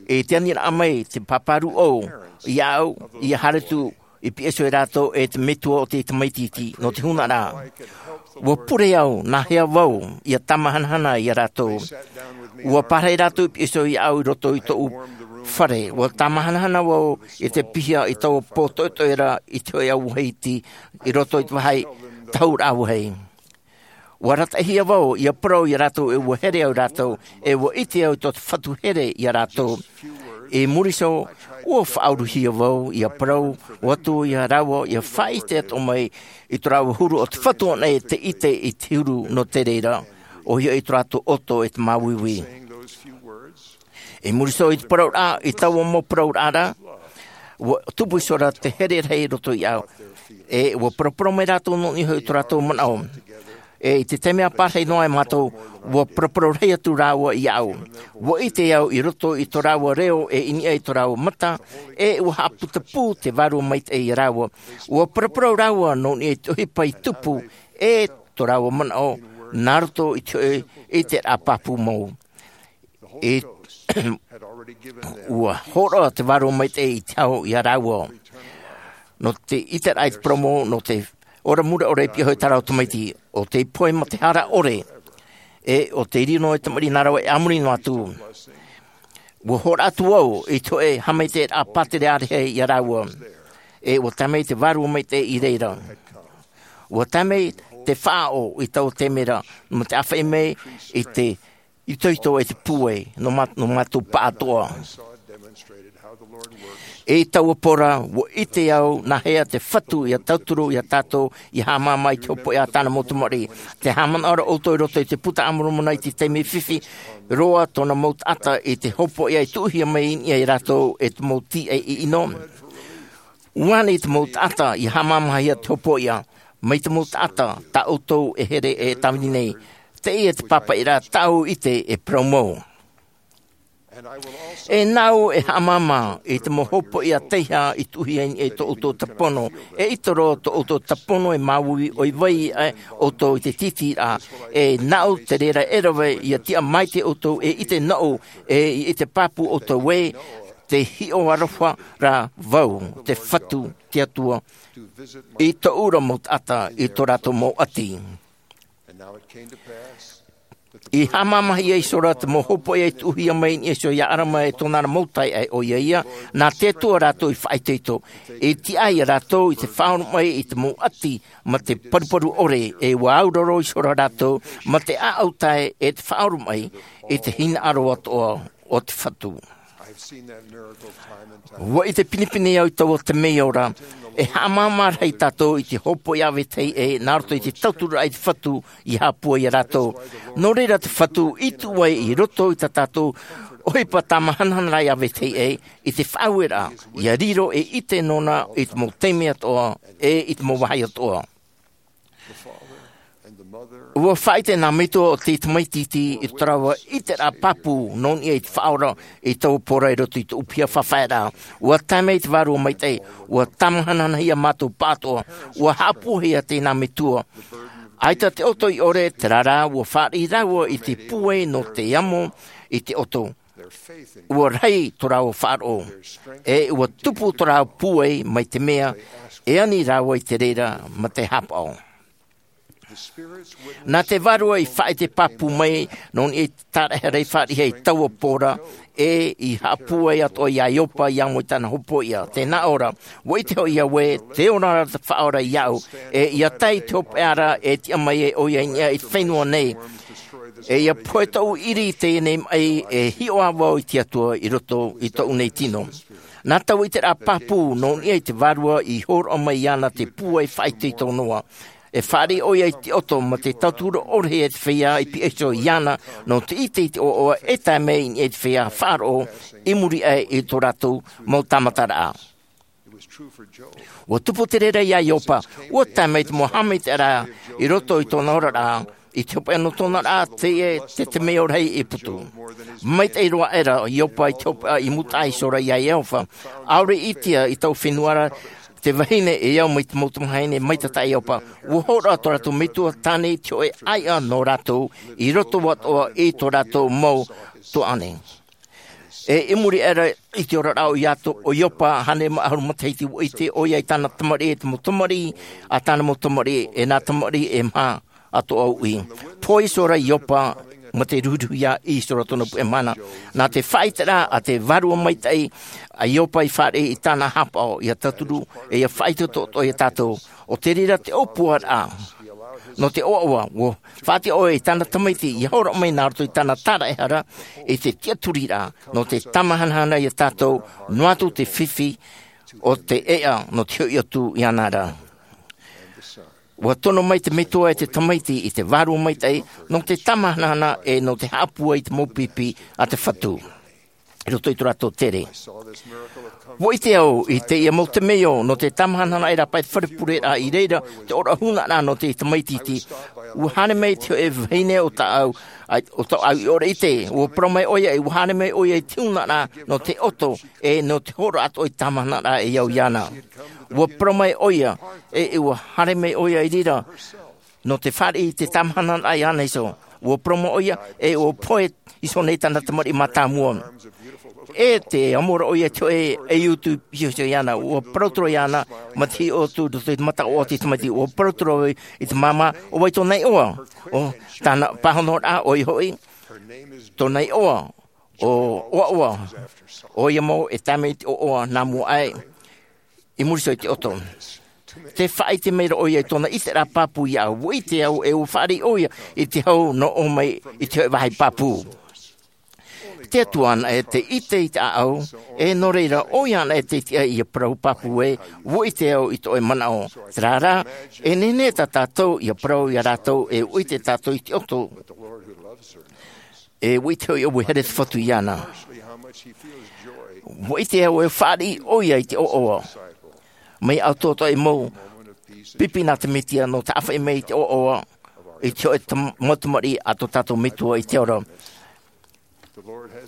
e te aniraʻa mai, te pāpā rūʻau, iāʻu, ia haere atu i pihaʻi iho ia rātou e te metua o te tamaiti iti, nō te huna ra. Ua pure au, nāhea vau ia tāmahanahana ia rātou. Ua pārahi rātou i pihaʻi iho iāʻu i roto i tōʻu fare. Ua tāmahanahana vau i te piha i taua pō toʻetoʻe ra i te hōʻē auahi iti i roto i te vāhi tahuraʻa vāhi. Ua arataʻihia vau ia parau ia rātou e ua here au ia rātou, e ua ʻite au tō te Fatu here ia rātou. I muri iho, ua faʻauruhia vau ia parau atu ia rāua ia faʻaʻite atoʻa mai i tō rāua huru, ʻo te Fatu anaʻe tei ʻite i te huru nō te reira, ʻoia hoʻi tō rātou ʻoto e te māuiui. I muri iho i te parauraʻa, i taua mau parauraʻa ra, ua tupu iho ra te here rahi i roto iāʻu. E ua paraparau mai rātou nō niʻa i tō rātou manaʻo. E i te taime a pārahi noa ai mātou, ua paraparau rahi atu rāua iāʻu. Ua ʻite au i roto i tō rāua reo e i niʻa i tō rāua mata, e ua haʻaputapū te Vārua Maitaʻi ia rāua. Ua paraparau rāua nō niʻa i te ʻohipa i tupu, e tō rāua manaʻo, nā roto i te hōʻē ʻiteraʻa pāpū mau. E ua hōroʻa te Vārua Maitaʻi i te hau ia rāua. Nō te ʻiteraʻa i te parau mau, nō te pora mure ʻore e piʻi hoʻi tā rātou tamaiti, ʻo tei pohe mā te hara ʻore, e ʻo tei riro e tamaiti nā rāua e ʻāmui noa atu. Ua hōroʻa atu au i te hōʻē haʻamaitaʻiraʻa pātere ʻārehe ia rāua, e ua tae mai te Vārua Maitaʻi i reira. Ua tae mai te faʻaʻo i taua taime ra, mā te ʻāfaʻi mai i te itoito e te pūai nō mā-, nō mātou pāʻatoʻa. I taua pora, ua ʻite au nāhea te Fatu ia tauturu ia tātou ia haʻamāmā i te hopoiʻa a tāna mau tamariʻi. Te haʻamanaʻo ra ʻoutou i roto i te Buka a Moromona i te taime fifi roa tōna mau taʻata i te hopoiʻa i tuʻuhia mai i niʻa ia rātou e te mau tīaʻi ʻino. ʻUa nehenehe te mau taʻata ia haʻamāmāhia te hopoiʻa, mai te mau taʻata tā ʻoutou e here e tāvini nei. Teie te pāpaʻiraʻa tāʻu i ʻite e parau mau. E nāʻu e haʻamāmā i te mau hopoiʻa teiaha i tuʻuhia i niʻa i tō ʻoutou tapono, e ʻaita roa tō ʻoutou tapono e māuiui ʻoia hoʻi ʻoutou i te tītīraʻa. E nāʻu te reira e rave ia tiʻa maitaʻi ʻoutou e ʻite nōʻu, e i ʻite pāpū ʻoutou ē, te hiʻo aroha ra vau, te Fatu, te Atua, i tōʻu ra mau taʻata i tō rātou mau ʻati. I haʻamāmāhia iho ra te mau hopoiʻa i tuʻuhia mai i niʻa iho ia ʻArama e tōna ra mau taeaʻe, ʻoia ia, nā te Atua rātou i faʻaitoito. I tiʻa ia rātou i te faʻaoromaʻi i te mau ʻati mā te paruparu ʻore, e ua auraro iho ra rātou mā te ʻāʻau tae e te faʻaoromaʻi i te hinaʻaro atoʻa o te Fatu. ʻUa ʻite pinepine au i taua temeio ra, e haʻamāmā rahi tātou i te hopoiʻa a vetahi ʻē, nā roto i te tauturu i te Fatu ia haʻapūai ia rātou. Nō reira te Fatu i tuʻu ai i roto i tā tātou ʻohipa tāmāhanahana ia vetahi ʻē, i te faʻaueraʻa, ia riro e ʻite nōna i te mau taime atoʻa, e i te mau vāhi atoʻa. ʻUa faʻaʻite nā metua ʻo te tamaiti iti i tō rāua ʻiteraʻa pāpū nō niʻa i te Faʻaora i taua pora i roto i tōʻu piha faʻaʻaeraʻa. ʻUa tae mai te Vārua Maitaʻi, ʻua tāmāhanahanahia mātou pāʻatoʻa, ʻua haʻapūaihia teie nā metua. ʻAita te ʻoto i ʻore, terā rā, ʻua fāriʻi rāua i te pūai nō te amo i te ʻoto. ʻUa rahi tō rāua faʻaroʻo, e ʻua tupu tō rāua pūai mai te mea e ani rāua i te reira mā te hāpaʻo. Nā te Vārua i faʻaʻite pāpū mai nō niʻa i te tāraʻehara i fāriʻi i taua pora, e i haʻapūai atoʻa ia Iopa ia amo i tāna hopoiʻa. Tē nā ʻō ra, ʻua ʻite hoʻi au ē, tē ora ra te Faʻaora iāʻu, e ʻia tae i te hopeʻa ra e tiʻa mai ai ʻoia i niʻa i te fenua nei. E ʻia pohe tōʻu ʻiri i teie nei maʻi, e hiʻo ā vau i te Atua i roto i tōʻu nei tino. Nā taua ʻiteraʻa pāpū nō niʻa i te Vārua i hōroʻa mai iāna te pūai faʻaitoito noa. E fāriʻi ʻoia i te ʻoto mā te tauturu ʻore e te feiā i pihaʻi iho iāna nō te ʻite i te ʻoaʻoa e tae mai i niʻa i te feiā faʻaroʻo i muri aʻe i tō rātou mau tāmataraʻa. ʻUa tupu te reira iā Iopa, ʻua tae mai te mau haʻamaitaʻiraʻa i roto i tōna oraraʻa, i te hopeʻa nō tōna ra, teie te temeio rahi i putu. Maitaʻi roa aʻera Iopa i te hopeʻa i mūtaʻa iho ra iā Iehova. ʻAore i ʻitea i taua fenua ra te vahine e au mai te mau tamahine maitaʻi tā Iopa. ʻUa hōroʻa tō rātou metua tāne i te hōʻē ʻāiʻa nō rātou i roto atoʻa i tō rātou mau tuaʻane. E i muri aʻera i te oraraʻa o Iato-, o Iopa, hānere mā ʻahuru matahiti, ʻua ʻite ʻoia i tāna tamariʻi, e te mau tamariʻi a tāna mau tamariʻi, e nā tamariʻi e maha atoʻa uʻi. Pohe iho ra Iopa mā te ruhiruhia iho ra tōna puʻe mahana. Nā te faʻaʻiteraʻa a te Vārua Maitaʻi a Iopa i fāriʻi i tāna hāpaʻo ʻia tauturu, e ʻia faʻaitoito atoʻa ia tātou. ʻO te reira te ʻōpuaraʻa nō te ʻoaʻoa, ʻua faʻatiʻa ʻoia i tāna tamaiti ʻia hōroʻa mai nā roto i tāna tāraʻehara i te tiʻaturiraʻa, nō te tāmāhanahana ia tātou, noa atu te fifi o te ʻēʻa nō te hoʻi atu iāna ra. ʻUa tono mai te metua e te tamaiti i te Vārua Maitaʻi nō te tāmāhanahana e nō te haʻapūai i te mau pipi a te Fatu i roto i tō rātou tere. ʻUa ʻite au i teie mau temeio nō te tāmāhanahana e rāpae te fare pureraʻa i reira te ʻōroʻa hūnaʻaraʻa nō te tamaiti iti. ʻUa haere mai te hōʻē vahine ʻo tāʻau, ʻo tāʻau i ʻore ʻite, ʻua parau mai ʻoia, e ʻua haere mai ʻoia i te hūnaʻaraʻa nō te ʻoto, e nō te hōroʻa atoʻa i te tāmāhanahana e au iāna. ʻUa parau mai ʻoia, e ʻua haere mai ʻoia i reira nō te fāriʻi i te tāmāhanahana iāna iho. ʻUa parau mai ʻoia, e ʻua pohe iho nei tāna tamariʻi mātāmua. E te amo ra ʻoia i te hōʻē e utu pīhoiho iāna, ʻua parau atu ra iāna, mā te hiʻo atu i roto i te mataʻu o te tamaiti, ʻua parau atu ra ʻoia i te māmā, ʻo vai tōna iʻoa? ʻO tāna pāhonoraʻa, ʻoia hoʻi, tōna iʻoa, ʻo ʻOaʻoa, ʻoia mau e tae mai i te ʻoaʻoa nā mua aʻe, i muri iho i te ʻoto. Tē faʻaʻite mai ra ʻoia i tōna ʻiteraʻa pāpū iāʻu, ʻua ʻite au, e ʻua fāriʻi ʻoia i te hau nō ʻō mai i te hōʻē vāhi pāpū. Te Atua anaʻe tē ʻite i te ʻāʻau, e nō reira, ʻoia anaʻe tē tiʻa ʻia parau pāpū ē, ʻua ʻite au i tō ʻoe manaʻo. Terā rā, e nehenehe tā tātou ʻia parau iā rātou, e ʻua ʻite tātou i te ʻoto. E ʻua ʻite hoʻi au e here te Fatu iāna. ʻUa ʻite au e fāriʻi ʻoia i te ʻoaʻoa. Mai atoatoa e mau pipi nā te Mesia nō te ʻāfaʻi mai i te ʻoaʻoa, i te hōʻē tam-, mau tamariʻi a tō tātou Metua i te ao ra.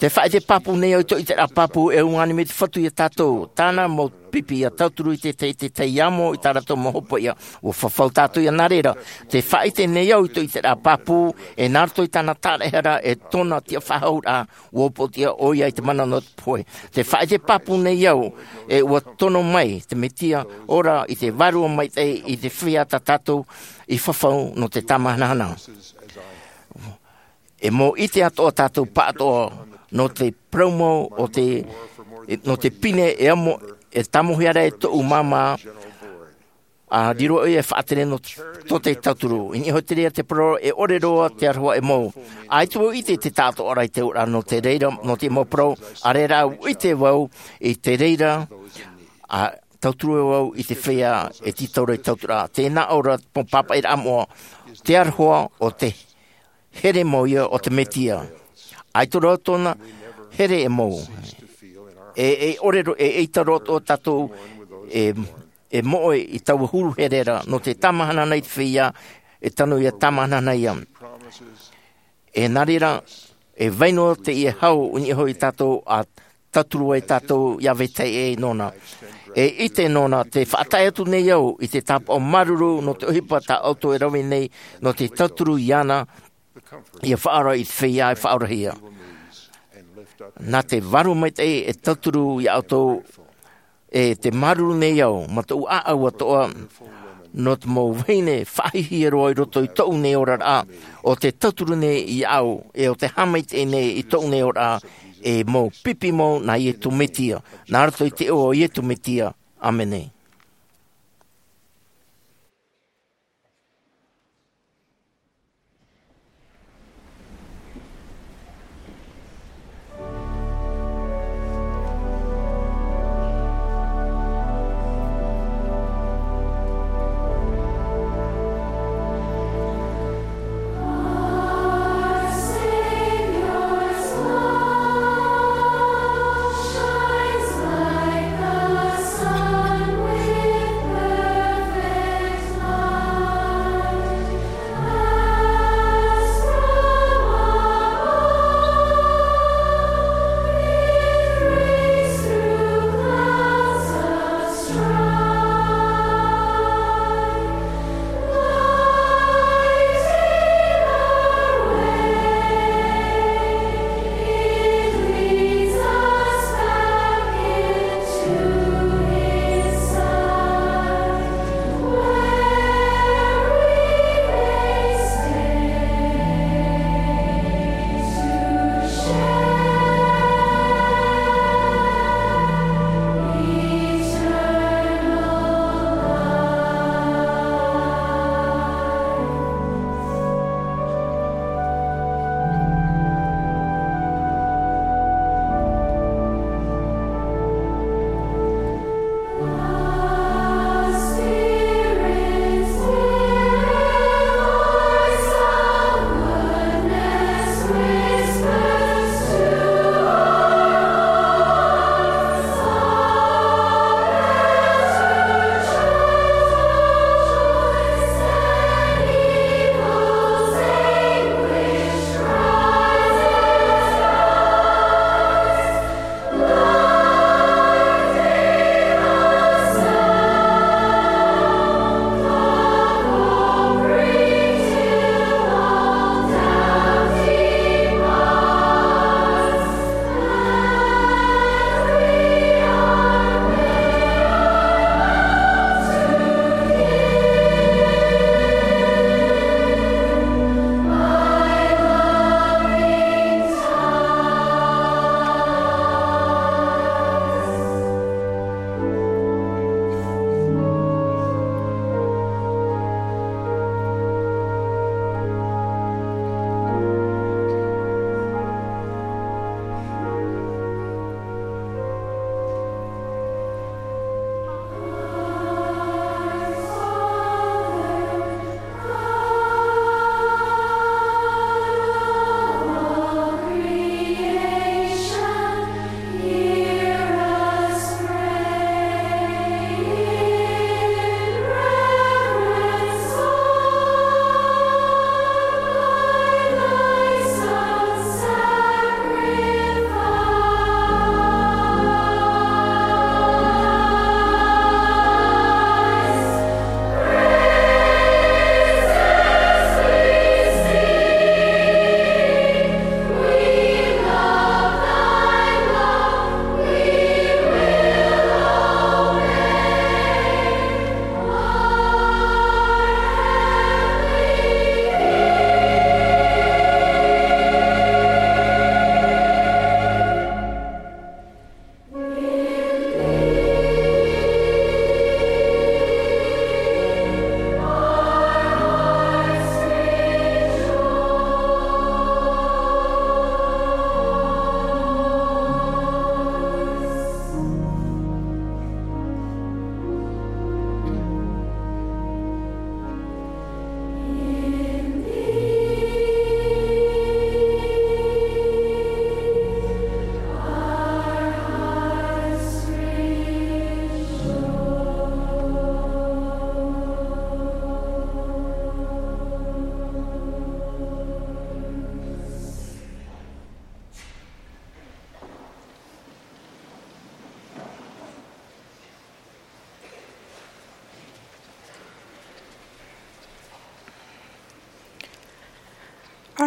Tē faʻaʻite pāpū nei au i tō ʻiteraʻa pāpū, e ʻua ani mai te Fatu iā tātou. Tāna mau pipi ʻia tauturu i te, te, te taiʻo i tā rātou mau hopoiʻa. ʻUa fafau tātou ia nā reira. Tē faʻaʻite nei au i tō ʻiteraʻa pāpū, e nā roto i tāna tāraʻehara, e tōna tiʻafaʻahouraʻa, ʻua ʻōpuatia ʻoia i te mana nō te pohe. Tē faʻaʻite pāpū nei au, e ʻua tono mai te Mesia, ora i te Vārua Maitaʻi i te feiā tā tātou i fafau nō te tāmahanahana. E mau ʻite atoʻa tātou pāʻatoʻa nō te parau mau o te, nō te pine e amo, e tāmau hia ra e tōʻu māmā, ʻa riro ʻoia e faʻatere nō te, tō te tauturu. I niʻa iho i te reira te parau, e ʻore roa te aroha e mau. ʻAita vau ʻite te taʻatoʻaraʻa i te auraʻa nō te reira, nō te mau parau, ʻaore rā ʻua ʻite vau i te reira, ʻa tauturu vau i te feiā e tītau ra i te tauturu. Tēnā ʻo rā te mau pāpaʻiraʻa moʻa, te aroha o te here mau ia o te Mesia. ʻAita roa tōna here e mau. E, e ʻore ro-, e, ʻaita roa tō tātou e, e moʻe i taua huru here ra, nō te tāmahanahana i te feiā, e tano ia tāmahanahana ia. E nā reira, e vai noa teie hau i niʻa iho ia tātou ʻa tauturu ai tātou ia vetahi ʻē nōna. E ʻite nōna, tē faʻatae atu nei au i te tāpaʻo māuruuru nō te ʻohipa tā ʻoutou e rave nei, nō te tauturu iāna, ʻia faʻaora i te feiā e faʻaorahia. Nā te Vārua Maitaʻi e tauturu ia ʻoutou, e tē māuruuru nei au, mā tōʻu ʻāʻau atoʻa, nō te mau vahine faʻahiahia roa i roto i tōʻu nei oraraʻa, ʻo tē tauturu nei iāʻu, e ʻo tē haʻamaitaʻi nei i tōʻu nei oraraʻa, e mau pipi mau nā Iesu Mesia, nā roto i te iʻoa o Iesu Mesia. ʻĀmene.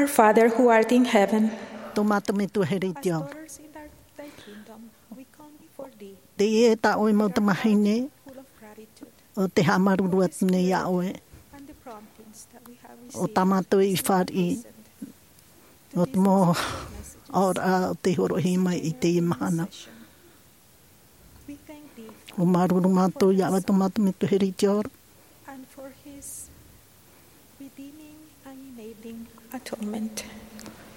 Father who art in heaven, tō mātou Metua here i te ao. Teie tā ʻoe mau tamahine, ʻo te haʻamāuruuru atu nei iā ʻoe. ʻO tā mātou i fāriʻi, ʻo te mau aʻoraʻa o tei hōroʻahia mai i teie mahana. ʻUa māuruuru mātou iā ʻoe tō mātou Metua here i te ao.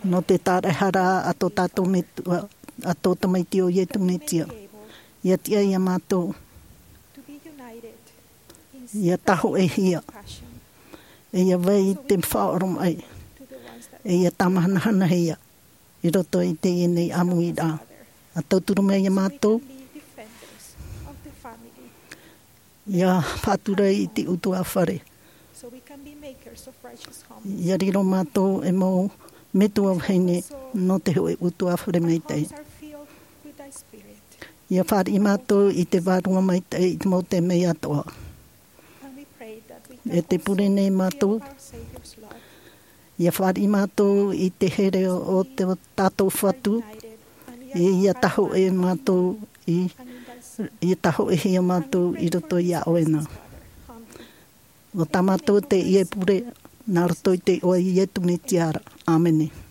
Nō te tāraʻehara a tō tātou Metua, a tō Tamaiti ʻo Iesu Mesia. ʻIa tiʻa iā mātou. ʻIa tāhōʻēhia. ʻE ʻia vai i te faʻaoromaʻi. ʻE ʻia tāmahanahanahia. I roto i teie nei ʻāmuiraʻa. ʻA tauturu mai iā mātou. ʻIa faʻatura i te ʻutuāfare. ʻIa riro mātou e mau metua vahine nō te hōʻē ʻutuāfare maitaʻi. ʻIa fāriʻi mātou i te vārua maitaʻi i te mau taime atoʻa. ʻE tē pure nei mātou, ʻia fāriʻi mātou i te here o tō tātou Fatu, ʻe ʻia tāhōʻē mātou i, ʻia tāhōʻēhia mātou i roto iā ʻoe na. ʻO tā mātou teie pure, nā roto i te iʻoa o Iesu Mesia ra. ʻĀmene.